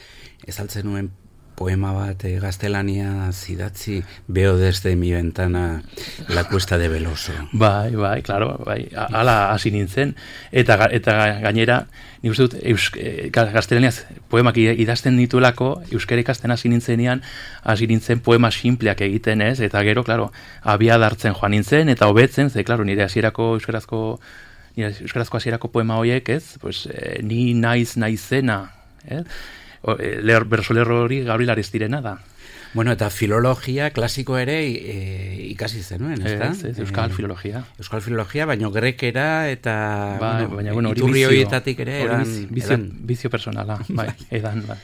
[SPEAKER 19] ezaltzen nuen poema bat e, gaztelania zidatzi, veo desde mi ventana la cuesta de Veloso.
[SPEAKER 23] Bai, bai, claro, bai, ala hasi nintzen, eta, eta gainera, nik uste dut, eus, e, gaztelaniaz poemak idazten dituelako, euskara ikasten hasi nintzenean, hasi nintzen poema simpleak egiten ez, eta gero, claro, abia dartzen joan nintzen, eta hobetzen, ze, claro, nire hasierako euskarazko, nire euskarazko hasierako poema horiek ez, pues, e, ni naiz naizena, ez? Leher, bersolerro hori Gabriel Aristirena da.
[SPEAKER 19] Bueno, eta filologia klasiko ere e, ikasi zenuen, ez da?
[SPEAKER 23] Ez, ez, euskal filologia.
[SPEAKER 19] Euskal filologia, baino grekera eta
[SPEAKER 23] ba,
[SPEAKER 19] bueno,
[SPEAKER 23] baina, bueno,
[SPEAKER 19] iturri horietatik ere edan,
[SPEAKER 23] bizio,
[SPEAKER 19] edan.
[SPEAKER 23] bizio personala, bai, edan, bai.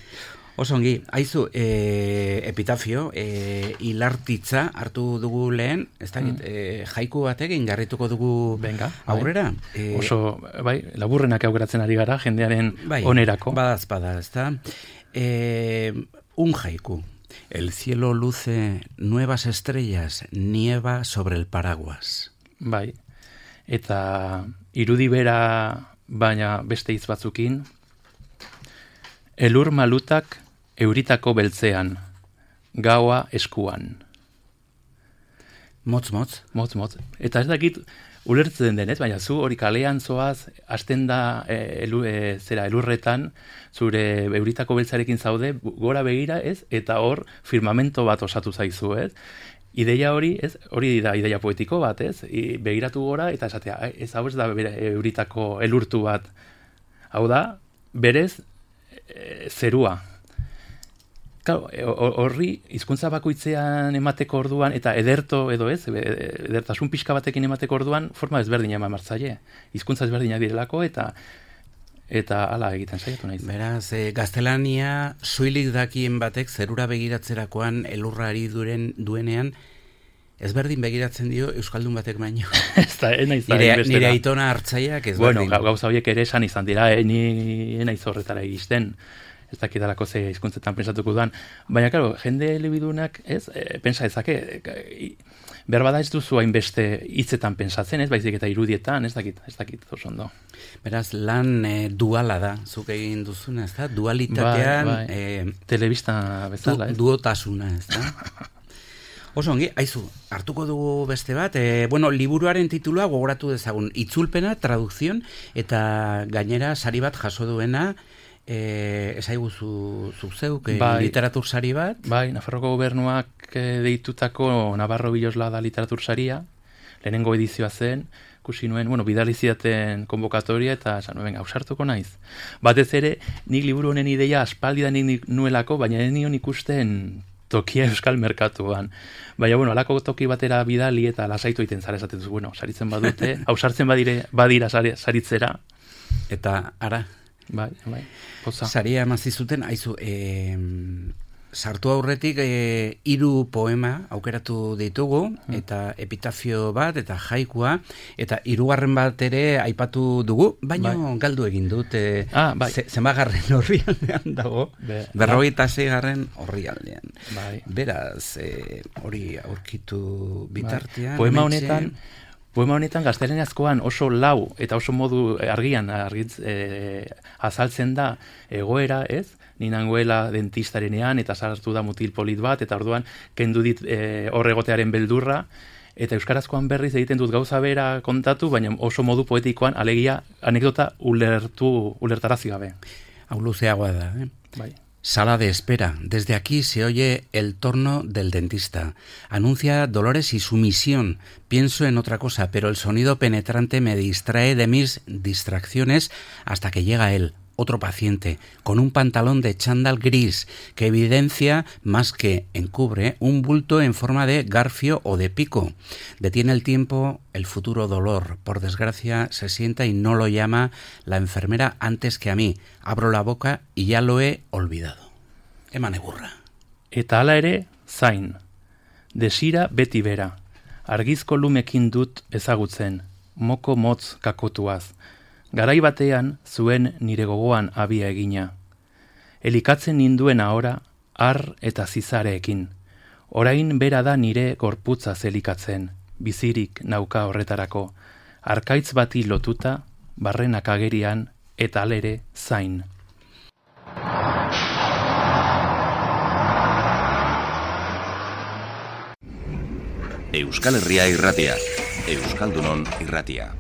[SPEAKER 19] Oso ongi, haizu, e, epitafio, e, hilartitza hartu dugu lehen, ez da, mm. e, jaiku batekin garrituko dugu
[SPEAKER 23] Venga,
[SPEAKER 19] aurrera.
[SPEAKER 23] Bai. E, Oso, bai, laburrenak aukeratzen ari gara, jendearen bai, onerako.
[SPEAKER 19] Badaz, badaz, ez da. E, un jaiku. El cielo luce nuevas estrellas, nieva sobre el paraguas.
[SPEAKER 23] Bai, eta irudi bera baina beste hitz batzukin, elur malutak euritako beltzean, gaua eskuan.
[SPEAKER 19] Motz, motz.
[SPEAKER 23] Motz, motz. Eta ez dakit ulertzen denez, baina zu hori kalean zoaz, hasten da e, elu, e, zera elurretan, zure euritako beltzarekin zaude, gora begira ez, eta hor firmamento bat osatu zaizu ez. Ideia hori, ez, hori da ideia poetiko bat ez, I, begiratu gora eta esatea, ez hau ez da euritako elurtu bat. Hau da, berez, e, zerua. Claro, horri hizkuntza bakoitzean emateko orduan eta ederto edo ez, edertasun pixka batekin emateko orduan forma ezberdina eman martzaile. Hizkuntza ezberdinak direlako eta eta hala egiten saiatu naiz.
[SPEAKER 19] Beraz, e, gaztelania soilik dakien batek zerura begiratzerakoan elurrari duren duenean ezberdin begiratzen dio euskaldun batek baino.
[SPEAKER 23] Ez da, ez naiz da.
[SPEAKER 19] Nire, nire aitona hartzaiak ezberdin.
[SPEAKER 23] Bueno, gauza horiek ere esan izan dira, eh, ni ez naiz horretara iristen. Ez dakidalako ze hizkuntzetan pensatuko duan. Baina, karo, jende elebidunak, ez, e, pensa ezake, e, berbada ez duzu hainbeste hitzetan pensatzen, ez, baizik eta irudietan, ez dakit, ez dakit, oso ondo.
[SPEAKER 19] Beraz, lan e, duala da, zuk egin duzuna, ez da? Dualitatean...
[SPEAKER 23] Bai, bai. E, telebista bezala,
[SPEAKER 19] du, ez? Duotasuna, ez da? Oso ongi, aizu, hartuko dugu beste bat, e, bueno, liburuaren titulua gogoratu dezagun, itzulpena, traduzion, eta gainera sari bat jaso duena, Eh, esaiguzu zuzeuk eh, bai, literatur sari bat?
[SPEAKER 23] Bai, Nafarroko gobernuak eh, deitutako Navarro Bilosla da literatur saria, lehenengo edizioa zen, ikusi nuen, bueno, bidali zidaten konbokatoria eta esan nuen, ausartuko naiz. Batez ere, nik liburu honen ideia aspaldidan nik nuelako, baina ez nion ikusten tokia euskal merkatuan. Baina, bueno, alako toki batera bidali eta lasaitu egiten zara esaten zu, bueno, saritzen badute, ausartzen badire, badira saritzera.
[SPEAKER 19] Eta, ara?
[SPEAKER 23] Bai, bai, poza.
[SPEAKER 19] Saria emazizuten, haizu, e, sartu aurretik e, hiru poema aukeratu ditugu, hmm. eta epitafio bat, eta jaikua, eta hirugarren bat ere aipatu dugu, baina bai. Galdu egin dut, e,
[SPEAKER 23] ah, bai.
[SPEAKER 19] zenbagarren horrialdean dago, Be, berrogeita zeigarren horrialdean.
[SPEAKER 23] Bai.
[SPEAKER 19] Beraz, e, hori aurkitu bitartean.
[SPEAKER 23] Bai. Poema honetan, Poema honetan gaztelaniazkoan oso lau eta oso modu argian argitz, e, azaltzen da egoera, ez? Ni nangoela dentistarenean eta sartu da mutil polit bat eta orduan kendu dit e, horregotearen beldurra eta euskarazkoan berriz egiten dut gauza bera kontatu, baina oso modu poetikoan alegia anekdota ulertu ulertarazi gabe.
[SPEAKER 19] Hau luzeagoa da, eh?
[SPEAKER 23] Bai.
[SPEAKER 19] Sala de espera. Desde aquí se oye el torno del dentista. Anuncia dolores y sumisión. Pienso en otra cosa, pero el sonido penetrante me distrae de mis distracciones hasta que llega él, otro paciente, con un pantalón de chándal gris que evidencia, más que encubre, un bulto en forma de garfio o de pico. Detiene el tiempo el futuro dolor. Por desgracia, se sienta y no lo llama la enfermera antes que a mí. Abro la boca y ya lo he olvidado. Eman egurra.
[SPEAKER 23] Eta hala ere, zain. Desira beti bera. Argizko lumekin dut ezagutzen. Moko motz kakotuaz. Garai batean zuen nire gogoan abia egina. Elikatzen ninduen ahora, ar eta zizareekin. Orain bera da nire gorputza zelikatzen, bizirik nauka horretarako. Arkaitz bati lotuta, barrenak agerian eta alere zain.
[SPEAKER 15] Euskal Herria Irratia. Euskaldunon Irratia.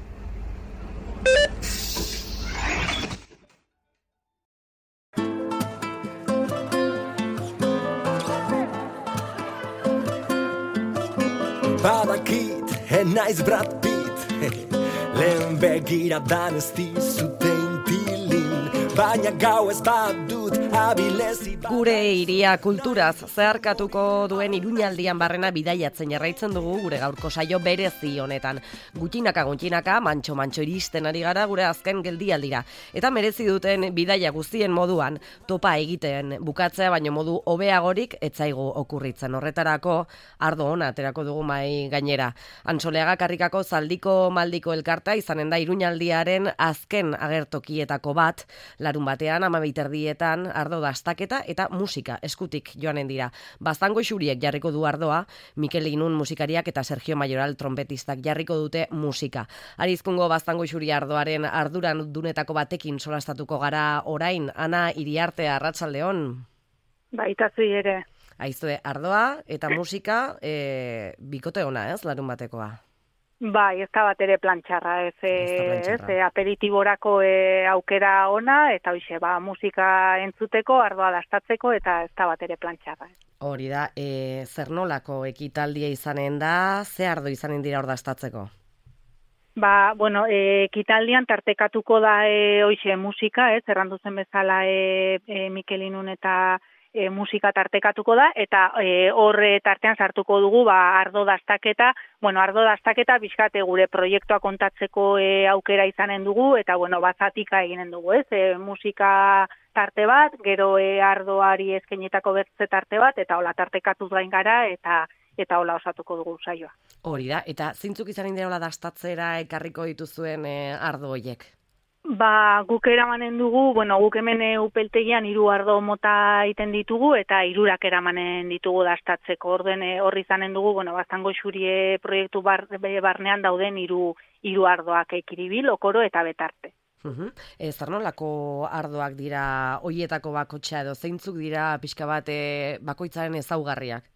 [SPEAKER 9] Badakit, enaiz Brad Pitt, lehen begiradan ez dizute intilin, baina gau ez badut abilezi bat.
[SPEAKER 2] Gure hiria kulturaz zeharkatuko duen Iruñaldian barrena bidaiatzen jarraitzen dugu gure gaurko saio berezi honetan. Gutxinaka gutxinaka, mantxo mantxo iristen ari gara gure azken geldialdira. Eta merezi duten bidaia guztien moduan topa egiten bukatzea baino modu hobeagorik etzaigu okurritzen. Horretarako ardo ona aterako dugu mai gainera. Antsoleaga karrikako zaldiko maldiko elkarta izanen da Iruñaldiaren azken agertokietako bat, larun batean amabiterdietan ardo dastaketa eta musika eskutik joanen dira. Baztango xuriek jarriko du ardoa, Mikel Inun musikariak eta Sergio Mayoral trompetistak jarriko dute musika. Arizkungo Baztango xuri ardoaren arduran dunetako batekin solastatuko gara orain, Ana Iriarte, arratsaldeon.
[SPEAKER 21] Baitazui ere.
[SPEAKER 2] Aizue, ardoa eta musika e, bikote ona, ez, larun batekoa?
[SPEAKER 21] Bai, ez da bat ere plantxarra, ez, ez, ez aperitiborako e, aukera ona, eta hoxe, ba, musika entzuteko, ardoa dastatzeko, eta ez da bat ere plantxarra.
[SPEAKER 2] Hori da, e, zer nolako ekitaldia izanen da, ze ardo izanen dira hor dastatzeko?
[SPEAKER 21] Ba, bueno, e, ekitaldian tartekatuko da e, hoxe musika, ez, errandu zen bezala e, e, Mikel Inun eta E, musika tartekatuko da, eta e, horre tartean sartuko dugu ba, ardo dastaketa, bueno, ardo dastaketa bizkate gure proiektua kontatzeko e, aukera izanen dugu, eta bueno, bazatika eginen dugu, ez, e, musika tarte bat, gero e, ardoari eskainetako bertze tarte bat, eta hola tartekatuz gain gara, eta eta hola osatuko dugu saioa.
[SPEAKER 2] Hori da, eta zintzuk izanen dira hola dastatzera ekarriko dituzuen e, ardo hoiek?
[SPEAKER 21] Ba, guk eramanen dugu, bueno, guk hemen upeltegian hiru ardo mota egiten ditugu eta hirurak eramanen ditugu dastatzeko. Orden horri izanen dugu, bueno, Baztango xurie proiektu bar, barnean dauden hiru hiru ardoak ekiribil, okoro eta betarte.
[SPEAKER 2] Uh-huh. E, zer nolako ardoak dira hoietako bakotxa edo zeintzuk dira pixka bat e, bakoitzaren ezaugarriak?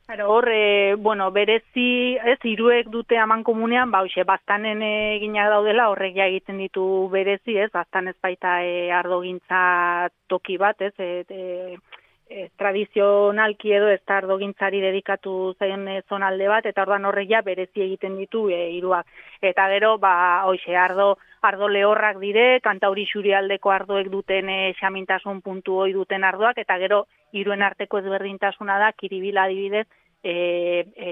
[SPEAKER 21] Claro, hor, e, bueno, berezi, ez, hiruek dute aman komunean, ba, hoxe, baztanen eginak daudela, horrek ja egiten ditu berezi, ez, baztan ez baita e, ardogintza toki bat, ez, e, e, e, tradizionalki edo ez da ardogintzari dedikatu zaien e, zonalde bat, eta ordan horrek ja berezi egiten ditu e, hiruak. Eta gero, ba, hoxe, ardo, ardo lehorrak dire, Kantauri xurialdeko ardoek duten e, xamintasun puntu hoi duten ardoak, eta gero, hiruen arteko ezberdintasuna da, Kiribila adibidez, e, e,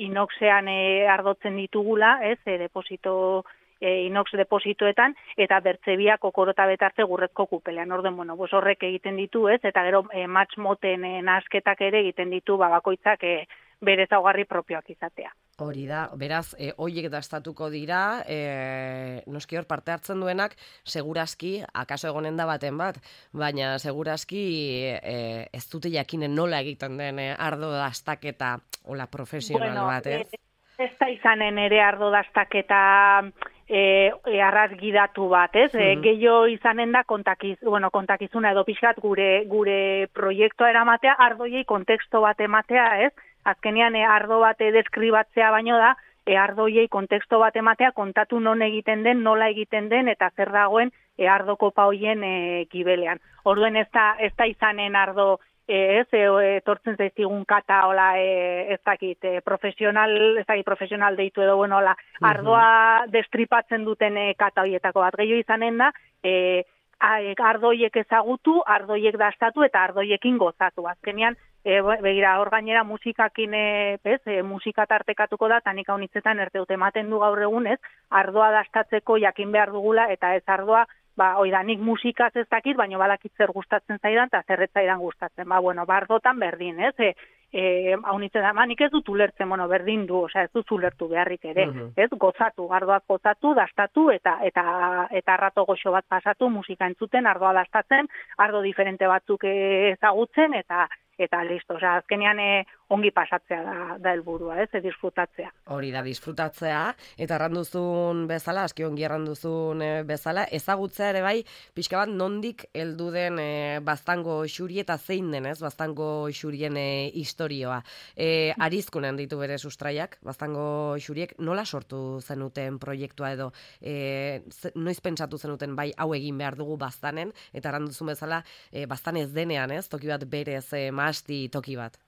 [SPEAKER 21] inoxean e, ardotzen ditugula, ez, e, deposito, e, inox depositoetan, eta bertzebiak okorota betarte gurrezko kupelean. Orden, bueno, bos horrek egiten ditu, ez, eta gero e, match moten e, nasketak ere egiten ditu, babakoitzak e, bere ezaugarri propioak izatea.
[SPEAKER 2] Hori da, beraz, e, hoiek dastatuko dira, e, noski hor parte hartzen duenak, segurazki, akaso egonen da baten bat, baina segurazki e, ez dute jakinen nola egiten den e, ardo dastaketa, hola, profesional
[SPEAKER 21] bueno,
[SPEAKER 2] bat, ez?
[SPEAKER 21] E, ez da izanen ere ardo dastaketa e, e, arrazgidatu bat, ez? Mm-hmm. E, gehiago izanen da kontakiz, bueno, kontakizuna edo pixkat gure, gure proiektua eramatea, ardoiei konteksto bat ematea, ez? Azkenean e, ardo bat deskribatzea baino da, e, ardoiei konteksto bat ematea, kontatu non egiten den, nola egiten den, eta zer dagoen e, ardo kopa hoien e, gibelean. Orduen ez da, ez da izanen ardo, e, ez, e, etortzen zaizkigun kata, hola, e, ez dakit, e, profesional, ez dakit, profesional deitu edo, bueno, hola, ardoa destripatzen duten e, kata hoietako bat. Gehiago izanen da, e, ardoiek ezagutu, ardoiek dastatu eta ardoiekin gozatu. Azkenean, E, begira, hor gainera musikakin e, bez, e, musika tartekatuko da, tanik haunitzetan erteut ematen du gaur egun, ez, ardoa dastatzeko jakin behar dugula, eta ez ardoa, ba, oida, nik musikaz ez dakit, baina badakit zer gustatzen zaidan, eta zer ez zaidan gustatzen, ba, bueno, ba, ardotan berdin, ez, e, e, haunitzetan, ba, nik ez dut ulertzen, bueno, berdin du, osea, ez dut ulertu beharrik ere, uh-huh. ez, gozatu, ardoak gozatu, dastatu, eta eta eta arrato goxo bat pasatu, musika entzuten, ardoa dastatzen, ardo diferente batzuk ezagutzen, eta eta listo, osea, azkenean e,
[SPEAKER 12] ongi pasatzea da, da helburua, ez, e, disfrutatzea.
[SPEAKER 2] Hori da, disfrutatzea, eta erranduzun bezala, aski ongi erranduzun e, bezala, ezagutzea ere bai, pixka bat nondik heldu den e, Baztango xuri eta zein den, ez, Baztango xurien e, historioa. E, arizkunen ditu bere sustraiak, Baztango xuriek, nola sortu zenuten proiektua edo, e, ze, noiz pentsatu zenuten bai hau egin behar dugu Baztanen, eta erranduzun bezala, e, Baztan ez denean, ez, toki bat berez, e, mahasti toki bat.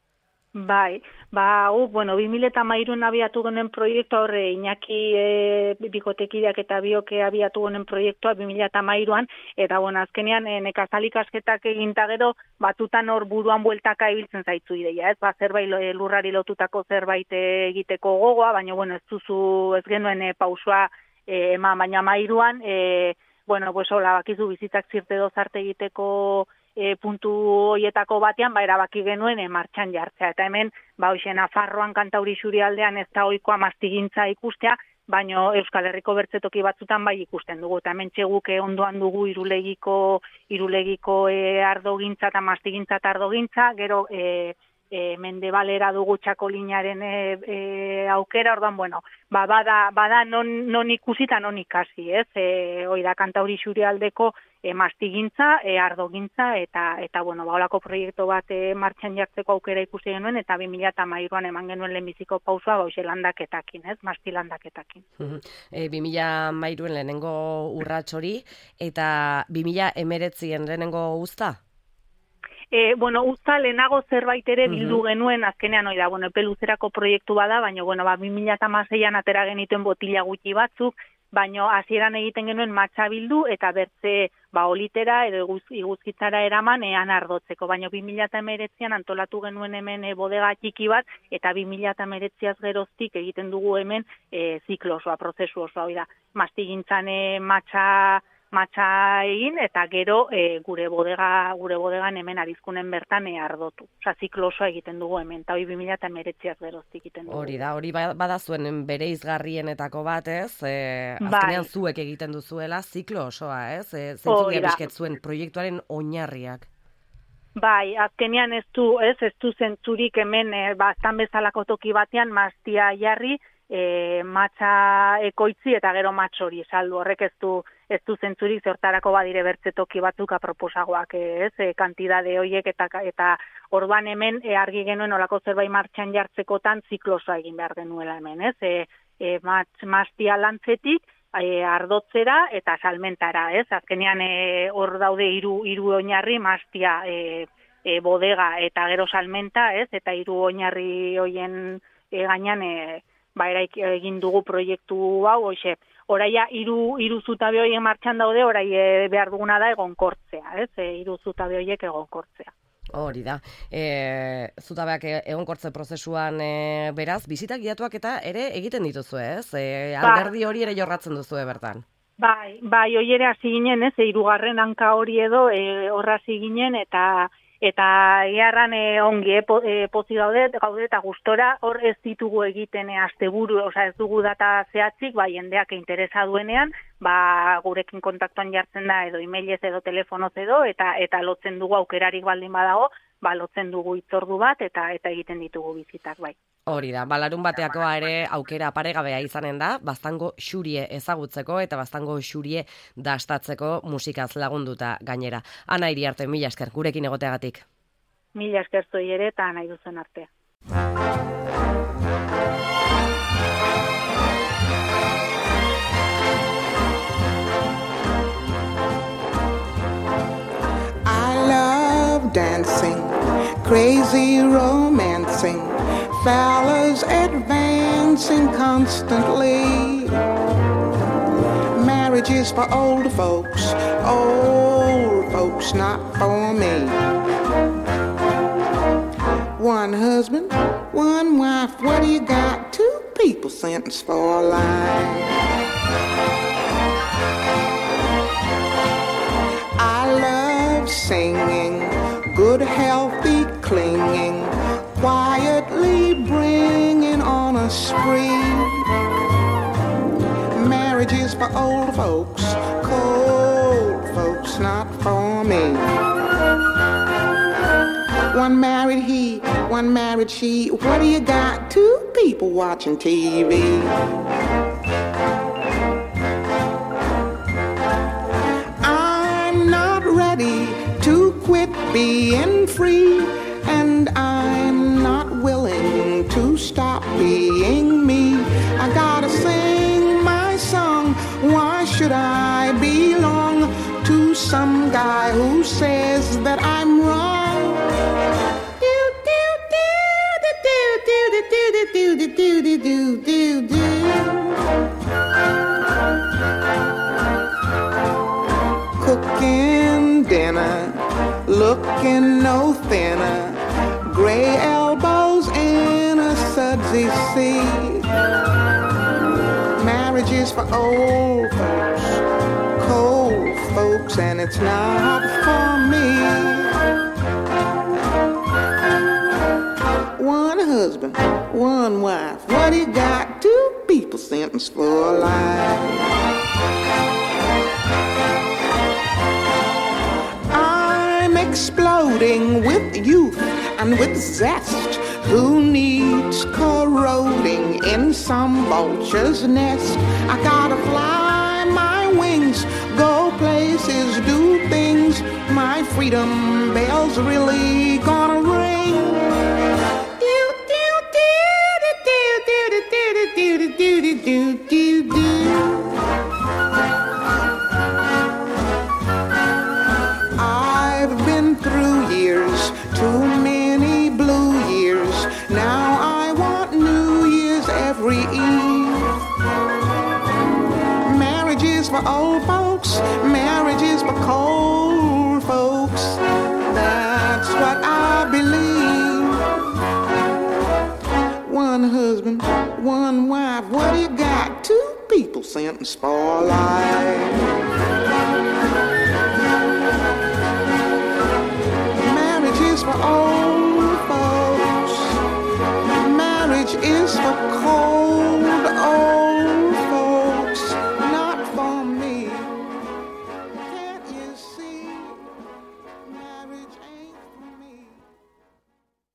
[SPEAKER 12] Bai, ba, hu, bueno, bi mila hamairuan abiatu gonen proiektua horre, Iñaki e, bikotekideak eta bioke abiatu gonen proiektua bi mila hamairuan, eta, bueno, azkenean e, nekazalik asketak eginta gero, batutan hor buruan bueltaka ibiltzen zaitzu ideia, ez, ba, zerbait lurrari lotutako zerbait egiteko gogoa, baina, bueno, ez duzu, ez genuen e, pausua e, eman, baina hamairuan, e, bueno, pues, hola, bakizu bizitzak zirte dozarte egiteko E, puntu hoietako batean, ba, erabaki genuen e, martxan jartzea. Eta hemen, ba, hoxe, Nafarroan Kantauri xurialdean ez da ohikoa mastigintza ikustea, baino Euskal Herriko bertzetoki batzutan bai ikusten dugu. Eta hemen txeguk e, ondoan dugu irulegiko, irulegiko e, ardogintza eta mastigintza eta ardogintza, gero e, e, mendebalera dugu txakolinaren e, e, aukera, orduan, bueno, ba, bada, bada non, non ikusi eta non ikasi, ez? E, hoi da Kantauri xurialdeko E, mastigintza, e, ardogintza, eta, eta bueno, ba, holako proiektu bat e, martxan jartzeko aukera ikusi genuen, eta bi mila hamairuan eman genuen lehenbiziko pausua, ba, hoxe landaketakin, ez, masti landaketakin.
[SPEAKER 2] E, bi mila hamairuan lehenengo urrats hori, eta bi mila hemeretzien lehenengo uzta?
[SPEAKER 12] E, bueno, uzta lehenago zerbait ere bildu genuen, azkenean hori da, bueno, epe luzerako proiektu bada, baina, bueno, ba, bi mila hamaseian atera genituen botila gutxi batzuk, baino hasieran egiten genuen matxa bildu eta bertze ba olitera edo iguz, iguzkitzara eraman ean ardotzeko. Baino bi mila hemeretzian antolatu genuen hemen e, bodega txiki bat eta bi mila hemeretziaz geroztik egiten dugu hemen e, ziklo osoa, prozesu osoa, hori da. Mastigintzan e, matxa matxa egin eta gero e, gure bodega gure bodegan hemen Arizkunen bertan e, ardotu. Osea, ziklo osoa egiten dugu hemen, eta hori bi mila hemeretziaz geroztik egiten dugu.
[SPEAKER 2] Hori da, hori bada zuen bereizgarrienetako bat, ez? E, azkenean bai. Zuek egiten duzuela ziklo osoa, ez? E, Zentzu diabizket zuen proiektuaren oinarriak.
[SPEAKER 12] Bai, azkenean ez du, ez, ez du zentzurik hemen e, bastan bezalako toki batean mastia jarri, e, matxa ekoitzi eta gero matx hori saldu, horrek ez du ez du zentzurik zertarako badire bertze toki batzuk aproposagoak, ez, e, kantidade horiek eta eta orduan hemen e, argi genuen olako zerbait martxan jartzekotan ziklosoa egin behar genuela hemen, ez, e, e, matx, mastia lantzetik, e, ardotzera eta salmentara, ez, azkenean hor e, daude hiru hiru oinarri, mastia, e, e, bodega eta gero salmenta, ez, eta hiru oinarri hoien e, gainean e, ba, egin dugu proiektu hau, hoxe, oraia hiru hiru zutabe hoien martxan daude, orai e, behar duguna da egonkortzea, ez? E, hiru zutabe hoiek egonkortzea.
[SPEAKER 2] Hori da. E, zutabeak egonkortze prozesuan e, beraz, bizitak giatuak eta ere egiten dituzu, ez? E, alderdi hori ere jorratzen duzu bertan.
[SPEAKER 12] Bai, bai, hori ere hasi ginen, ez? E, hirugarren hanka hori edo e, horra hasi ginen eta Eta egarran e, ongi e, po, e, pozi gaude, gaude eta gustora hor ez ditugu egiten e, asteburu, osea ez dugu data zehatzik, ba jendeak interesa duenean, ba gurekin kontaktuan jartzen da edo emailez edo telefonoz edo eta eta lotzen dugu aukerarik baldin badago, ba lotzen dugu hitzordu bat eta eta egiten ditugu bizitak bai.
[SPEAKER 2] Hori da, balarun bateakoa ere aukera paregabea izanen da, Baztango xurie ezagutzeko eta Baztango xurie dastatzeko musikaz lagunduta gainera. Ana Iriarte, mila esker, gurekin egoteagatik.
[SPEAKER 12] Mila esker zoi ere eta nahi duzen artea.
[SPEAKER 16] I love dancing, crazy romancing, fellas advancing constantly. Marriage is for old folks, old folks not for me. One husband, one wife, what do you got? Two people sentenced for life. I love singing, good healthy clinging, quietly bringing on a spree. Marriage is for old folks, cold folks not for me. one married he, one married she. What do you got? Two people watching T V. I'm not ready to quit being free, and I'm not willing to stop being me. I gotta sing my song. Why should I belong to some guy who says that I'm wrong? Do do do do do do do do do do do do. Cooking dinner, looking no thinner, gray elbows in a sudsy sea. Marriage is for old folks, cold folks, and it's not for me. One husband, one wife, what do you got? Two people sentenced for life. I'm exploding with youth and with zest. Who needs corroding in some vulture's nest? I gotta fly my wings, go places, do things. My freedom bell's really gonna ring. Do do do do do do do do do do do do. I've been through years, too many blue years. Now I want New Year's every eve. Marriage is for old folks, marriage is for cold folks. That's what I believe. One husband, one wife, what do you got? Two people sentenced for life.